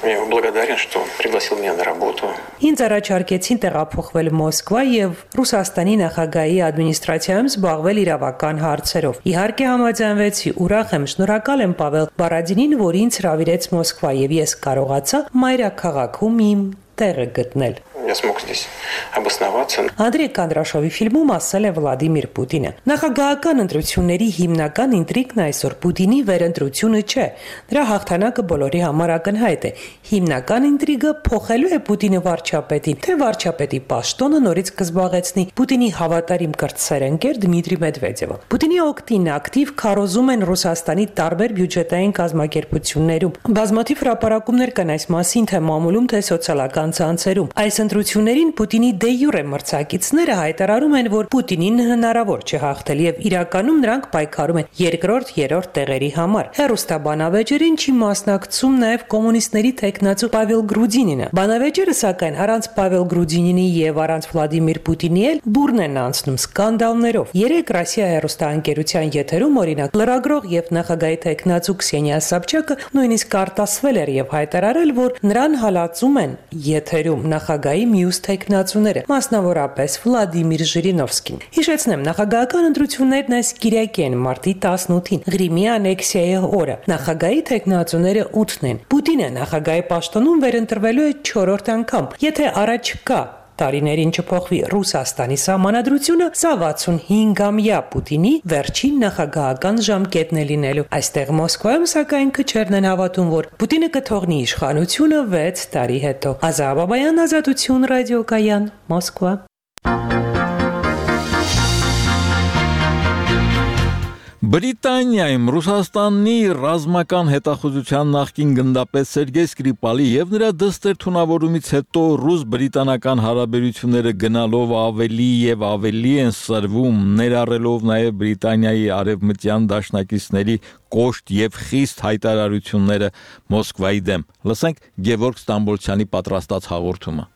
Я ему благодарен, что пригласил меня на работу. Ինձ առաջարկեցին տեղափոխվել Մոսկվա եւ Ռուսաստանի նախագահի ադմինիստրացիայում զբաղվել իրավական հարցերով։ Իհարկե համաձայնվեցի, ուրախ եմ, շնորհակալ եմ Պավել Բարադինին, որ ինձ հրավիրեց Մոսկվա եւ ես կարողացա մայրաքաղաքում իմ տեղը գտնել։ Я смог здесь обосноваться. Անդրեյ Կանդրաշովի ֆիլմում ասել է Վլադիմիր Պուտինը. Նախագահական ընտրությունների հիմնական ինտրիգն այսօր Պուտինի վերընտրությունը չէ։ Դրա հաղթանակը բոլորի համար ակնհայտ է։ Հիմնական ինտրիգը փոխելու է Պուտինը վարչապետին, թե վարչապետի պաշտոնը նորից կզբաղեցնի Պուտինի հավատարիմ կրտսերընկեր Դմիտրի Մեդվեդևը։ Պուտինի օգտին ակտիվ քարոզում են Ռուսաստանի տարբեր բյուջետային կազմակերպություններում։ Բազմաթիվ հրապարակումներ կան այս մասին, թե մամուլում, թե սոցիալական ցանցերում։ Այս ընտրություններին Պուտինի դե յուրե մրցակիցները հայտարարում են, որ Պուտինին հնարավոր չէ հաղթել եւ իրականում նրանք պայքարում են երկրորդ, երրորդ տեղերի համար։ Հեռուստաբանավեճերին չի մասնակցում նաեւ կոմունիստների թեկնածու Պավել Գրուդինինը։ Բանավեճերը սակայն առանց Պավել Գրուդինինի եւ առանց Վլադիմիր Պուտինի էլ բուրն են անցնում սկանդալներով։ Երեք Ռոսիա հեռուստաընկերության եթերում օրինակ լրագրող եւ նախագահի թեկնածու Քսենիա Սաբչակը նույնիսկ արտասվել էր եւ հայտարարել, որ նրան հալածում են եթերում նախագահի մյուս թեկնածուները, մասնավորապես Վլադիմիր Ժիրինովսկին։ Հիշեցնեմ, նախագահական ընտրություններն այս կիրակի են մարտի տասնութին, Ղրիմի անեքսիայի օրը։ Նախագահի թեկնածուները ութն են։ Պուտինը նախագահի պաշտոնում վերընտրվելու է չորրորդ անգամ։ Եթե առաջկա տարիներին չփոխվի Ռուսաստանի սահմանադրությունը, սա վաթսունհինգամյա Պուտինի վերջին նախագահական ժամկետն է լինելու։ Այստեղ Մոսկվայում սակայն քչերն են հավատում, որ Պուտինը կթողնի իշխանությունը վեց տարի հետո։ Ազա Բաբայան, Ազատություն ռադիոկայան, Մոսկվա։ Բրիտանիայում Ռուսաստանի ռազմական հետախուզության նախկին գնդապետ Սերգեյ Սկրիպալի եւ նրա դստեր թունավորումից հետո ռուս-բրիտանական հարաբերությունները գնալով ավելի եւ ավելի են սրվում, ներառելով նաեւ Բրիտանիայի արևմտյան դաշնակիցների կոշտ եւ խիստ հայտարարությունները Մոսկվայի դեմ։ Լսենք Գևորգ Ստամբոլցյանի պատրաստած հաղորդումը։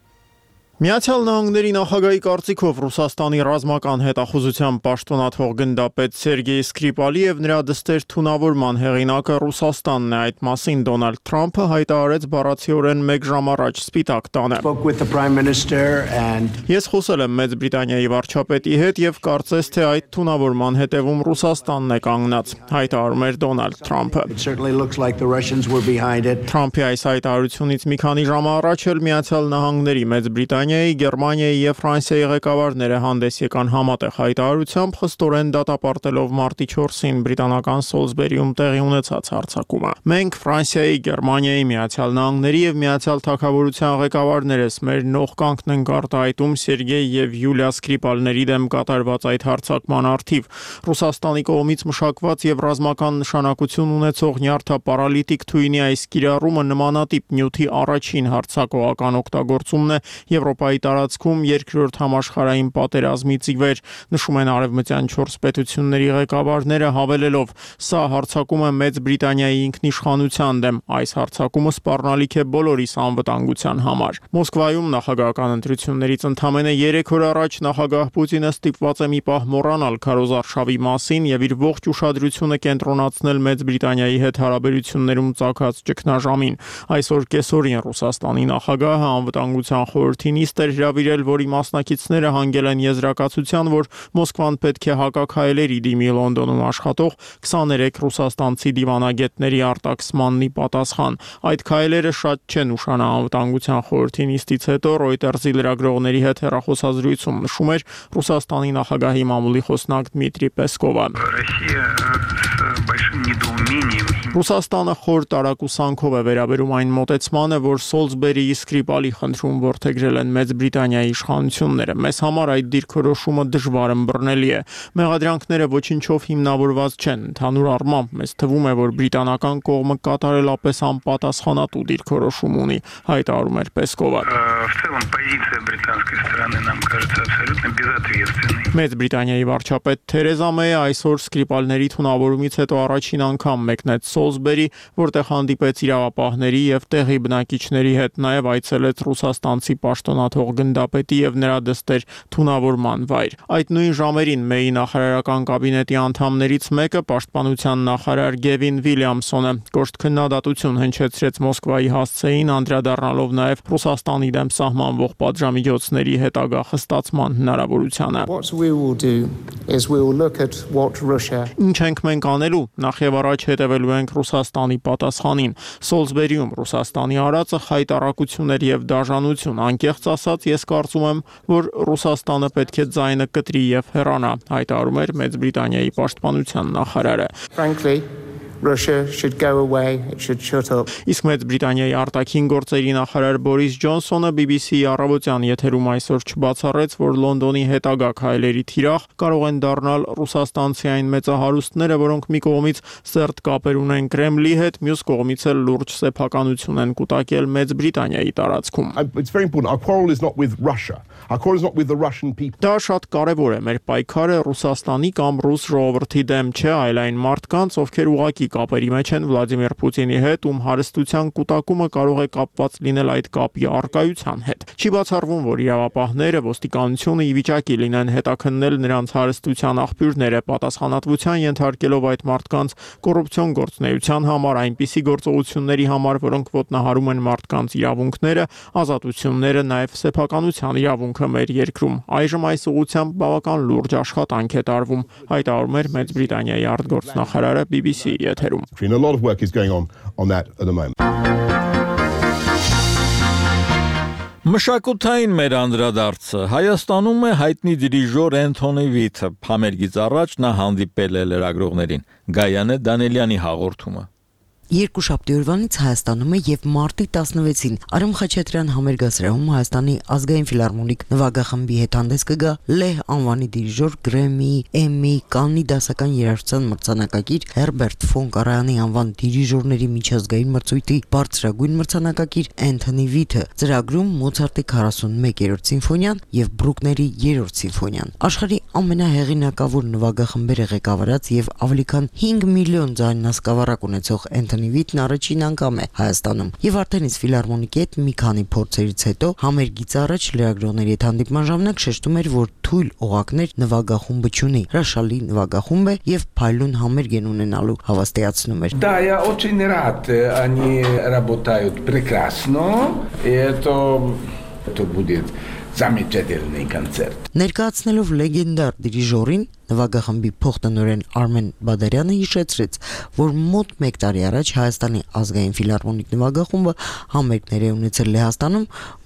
Միացյալ Նահանգների նախագահի կարծիքով Ռուսաստանի ռազմական հետախուզության պաշտոնաթող գնդապետ Սերգեյ Սկրիպալի եւ նրա դստեր թունավորման հեղինակը Ռուսաստանն է, այդ մասին Դոնալդ Թրամփը հայտարարեց բառացիորեն մեկ ժամ առաջ Սպիտակ տանը։ Ես խոսել եմ Մեծ Բրիտանիայի վարչապետի հետ եւ կարծես թե այդ թունավորման հետևում Ռուսաստանն է կանգնած, հայտարարում էր Դոնալդ Թրամփը։ Թրամփի այս հայտարարությունից մի քանի ժամ առաջ էլ Միացյալ Նահանգների Մեծ Բրիտանիայի Գերմանիայի եւ Ֆրանսիայի ղեկավարները հանդես եկան համատեղ հայտարարությամբ, խստորեն դատապարտելով մարտի չորսին բրիտանական Սոլսբերիում տեղի ունեցած հարձակումը։ Մենք Ֆրանսիայի, Գերմանիայի, Միացյալ Նահանգների եւ Միացյալ Թագավորության ղեկավարներս մեր նողկանքն ենք արտահայտում Սերգեյ եւ Յուլիա Սկրիպալների դեմ կատարված այդ հարձակման առթիվ։ Ռուսաստանի կողմից մշակված եւ ռազմական նշանակություն ունեցող նյարդապարալիտիկ թույնի այս կիրառումը նմանատիպ նյութի առաջին հարձակողական օգտագործումն է Եվրոպայի տարածքում երկրորդ համաշխարհային պատերազմից ի վեր, նշում են արևմտյան չորս պետությունների ղեկավարները, հավելելով. «Սա հարձակում է Մեծ Բրիտանիայի ինքնիշխանության դեմ, այս հարձակումը սպառնալիք է բոլորիս անվտանգության համար»։ Մոսկվայում նախագահական ընտրություններից ընդամենը երեք օր առաջ նախագահ Պուտինը ստիպված է մի պահ մոռանալ քարոզարշավի մասին եւ իր ողջ ուշադրությունը կենտրոնացնել Մեծ Բրիտանիայի հետ հարաբերություններում ծագած ճգնաժամին։ Այսօր կեսօրին Ռուսաստանի նախագահը անվտանգության խորհրդի նիստ էր հրավիրել, որի մասնակիցները հանգել են եզրակացության, որ Մոսկվան պետք է հակաքայլերի դիմի Լոնդոնում աշխատող քսաներեք ռուսաստանցի դիվանագետների արտաքսմանն ի պատասխան։ Այդ քայլերը շատ չեն ուշանա անվտանգության խորհրդի նիստից հետո Reuters-ի լրագրողների հետ հեռախոսազրույցում նշում էր Ռուսաստանի նախագահի մամուլի խոսնակ Դմիտրի Պեսկովը։ Ռուսաստանը խոր տարակուսանքով է վերաբերում այն մոտեցմանը, որ Սոլսբերիի Սկրիպալի խնդրում որդեգրել են Մեծ Բրիտանիայի իշխանությունները։ Մեզ համար այդ դիրքորոշումը դժվար ըմբռնելի է։ Մեղադրանքները ոչինչով հիմնավորված չեն։ Ընդհանուր առմամբ մեզ թվում է, որ բրիտանական կողմը կատարելապես անպատասխանատու դիրքորոշում ունի, հայտարարում էր Պեսկովը։ Մեծ Բրիտանիայի վարչապետ Թերեզա Մեյը այսօր Սկրիպալների թունավորումից հետո առաջին անգամ մեկնեց Սոլսբերի, որտեղ հանդիպեց իրավապահների եւ տեղի բնակիչների հետ, նաեւ այցելեց ռուսաստանցի պաշտոնաթող գնդապետի եւ նրա դստեր թունավորման վայր։ Այդ նույն ժամերին Մեյի նախարարական կաբինետի անդամներից մեկը, պաշտպանության նախարար Գևին Վիլյամսոնը, կոշտ քննադատություն հնչեցրեց Մոսկվայի հասցեին, անդրադառնալով նաեւ Ռուսաստանի դեմ սահմանվող պատժամիջոցների հետագա խստացման հնարավորությանը։ Ինչ ենք մենք անելու, նախ եւ առաջ հետևելու ենք Ռուսաստանի պատասխանին։ Սոլսբերիում Ռուսաստանի արածը խայտառակություն էր եւ դաժանություն, անկեղծ ասած ես կարծում եմ, որ Ռուսաստանը պետք է ձայնը կտրի եւ հեռանա, հայտարարում էր Մեծ Բրիտանիայի պաշտպանության նախարարը։ Russia should go away, it should shut up. Իսկ Մեծ Բրիտանիայի արտաքին գործերի նախարար Բորիս Ջոնսոնը բի բի սի-ի առավոտյան եթերում այսօր չբացառեց, որ Լոնդոնի հետագա քայլերի թիրախ կարող են դառնալ ռուսաստանցի այն մեծահարուստները, որոնք մի կողմից սերտ կապեր ունեն Կրեմլի հետ, մյուս կողմից էլ լուրջ սեփականություն են կուտակել Մեծ Բրիտանիայի տարածքում։ It's very important. Our quarrel is not with Russia. Our quarrel is not with the Russian people. Դա շատ կարևոր է, մեր պայքարը Ռուսաստանի կամ ռուս ժողովրդի դեմ չէ, այլ այն մարդկանց, ովքեր ուղղակի կապերի մեջ են Վլադիմիր Պուտինի հետ, ում հարստության կուտակումը կարող է կապված լինել այդ կապի առկայության հետ։ Չի բացառվում, որ իրավապահները, ոստիկանությունը ի վիճակի լինեն հետաքննել նրանց հարստության աղբյուրները, պատասխանատվության ենթարկելով այդ մարդկանց կոռուպցիոն գործունեության համար, այնպիսի գործողությունների համար, որոնք ոտնահարում են մարդկանց իրավունքները, ազատությունները, նաև սեփականության իրավունքը մեր երկրում։ Այժմ այս ուղղությամբ բավական լուրջ աշխատանք է տարվում, հայտարարում էր Մեծ Բրիտանիայի արտգործնախարարը բի բի սի-ի եթերում։ A lot of work is going on on that at the moment. Մշակութային մեր անդրադարձը Հայաստանում է հայտնի դիրիժոր Էնթոնի Վիթը, համերգից առաջ նա հանդիպել է լրագրողներին։ Գայանե Դանելյանի հաղորդումը։ Երկուշաբթի օրվանից Հայաստանում է եւ մարտի տասնվեցին Արամ Խաչատրյան համերգասրահում Հայաստանի ազգային ֆիլհարմոնիկ նվագախմբի հետ հանդես կգա Լեհ անվանի դիրիժոր Գրեմի, Էմմի, Կաննի դասական երաժշտության մրցանակակիր Հերբերտ ֆոն Կարայանի անվան դիրիժորների միջազգային մրցույթի բարձրագույն մրցանակակիր Էնթոնի Վիթը, ծրագրում Մոցարտի քառասունմեկերորդ սիմֆոնիան եւ Բրուկների երրորդ սիմֆոնիան։ Աշխարհի ամենահեղինակավոր նվագախմբերը ղեկավարած եւ ավելի քան հինգ միլիոն ձայնասկավառակ ունեցող Էնթոնի Վիթն առաջին անգամ է Հայաստանում եւ արդեն իսկ ֆիլհարմոնիկի հետ մի քանի փորձերից հետո համերգից առաջ լրագրողների հետ հանդիպման ժամանակ շեշտում էր, որ թույլ օղակներ նվագախումբը չունի, հրաշալի նվագախումբ է եւ փայլուն համերգ են ունենալու, հավաստիացնում էր։ Да, я очень рад, они работают прекрасно, и это это будет замечательный концерт. Ներկայացնելով լեգենդար դիրիժորին նվագախմբի փոխտնօրեն Արմեն Բադարյանը հիշեցրեց, որ մոտ մեկ տարի առաջ Հայաստանի ազգային ֆիլհարմոնիկ նվագախումբը համերգներ է ունեցել Լեհաստանում,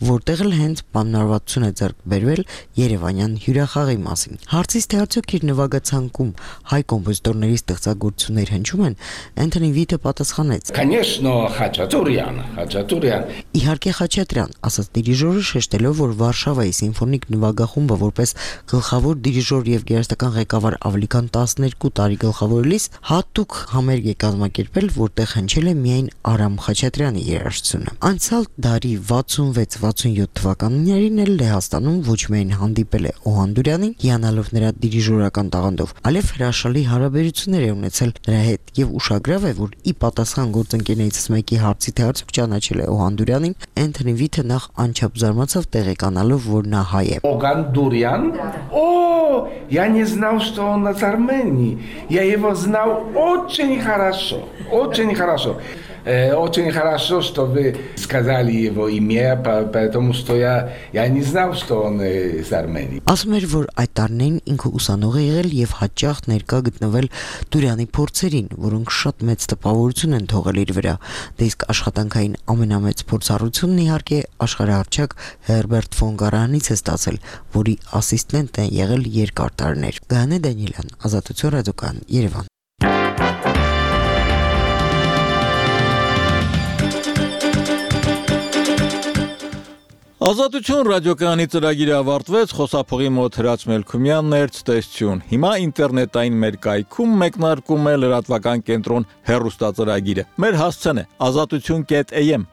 որտեղ էլ հենց պայմանավորվածություն է ձեռք բերվել Երևանյան հյուրախաղի մասին։ Հարցից թե արդյոք իր նվագացանկում հայ կոմպոզիտորների ստեղծագործություններ հնչում են, Էնթոնի Վիթը պատասխանեց. Конечно, Խաչատուրյան, Խաչատուրյան։ Իհարկե Խաչատրյան, ասաց դիրիժորը, շեշտելով, որ Վարշավայի սիմֆոնիկ նվագախումբը որպես գլխավոր դիրիժոր եւ գերեստական ղեկավար ավելի քան տասներկու տարի գլխավորելիս հատուկ համերգ է կազմակերպել, որտեղ հնչել է միայն Արամ Խաչատրյանի երաժշտությունը։ Անցյալ դարի վաթսունվեց վաթսունյոթ թվականներին էլ Լեհաստանում ոչ միայն հանդիպել է Օհանդուրյանին, հիանալով նրա դիրիժորական տաղանդով, այլև հրաշալի հարաբերություններ է ունեցել նրա հետ եւ ուշագրավ է, որ ի պատասխան գործընկերներից մեկի հարցի թե արդյոք ճանաչել է Օհանդուրյանին, Էնթոնի Վիթը նախ անչափ զարմացավ տեղեկանալով, որ նա հայ է։ Օհանդուրյան, о, я не знал, что он из Армении. Я его знал очень хорошо, очень хорошо. Очень хорошо, что вы сказали его имя, потому что я, я не знал, что он из Армении. Ասում էր, որ այդ տարիներին ինքը ուսանող է եղել եւ հաճախ ներկա գտնվել Տուրյանի փորձերին, որոնք շատ մեծ տպավորություն են թողել իր վրա։ Դե իսկ աշխատանքային ամենամեծ փորձառությունն իհարկե աշխարհահռչակ Հերբերտ ֆոն Կարայանից է ստացել, որի ասիստենտ է եղել երկար տարիներ։ Գայանե Դանիելյան, Ազատություն ռադիոկայան, Երևան։ Ազատություն ռադիոկայանի ծրագիրը ավարտվեց, խոսափողի մոտ Հրաչ Մելքումյանն էր, ցտեսություն։ Հիմա ինտերնետային մեր կայքում մեկնարկում է լրատվական կենտրոն հեռուստածրագիրը։ Մեր հասցեն է ազատություն կետ am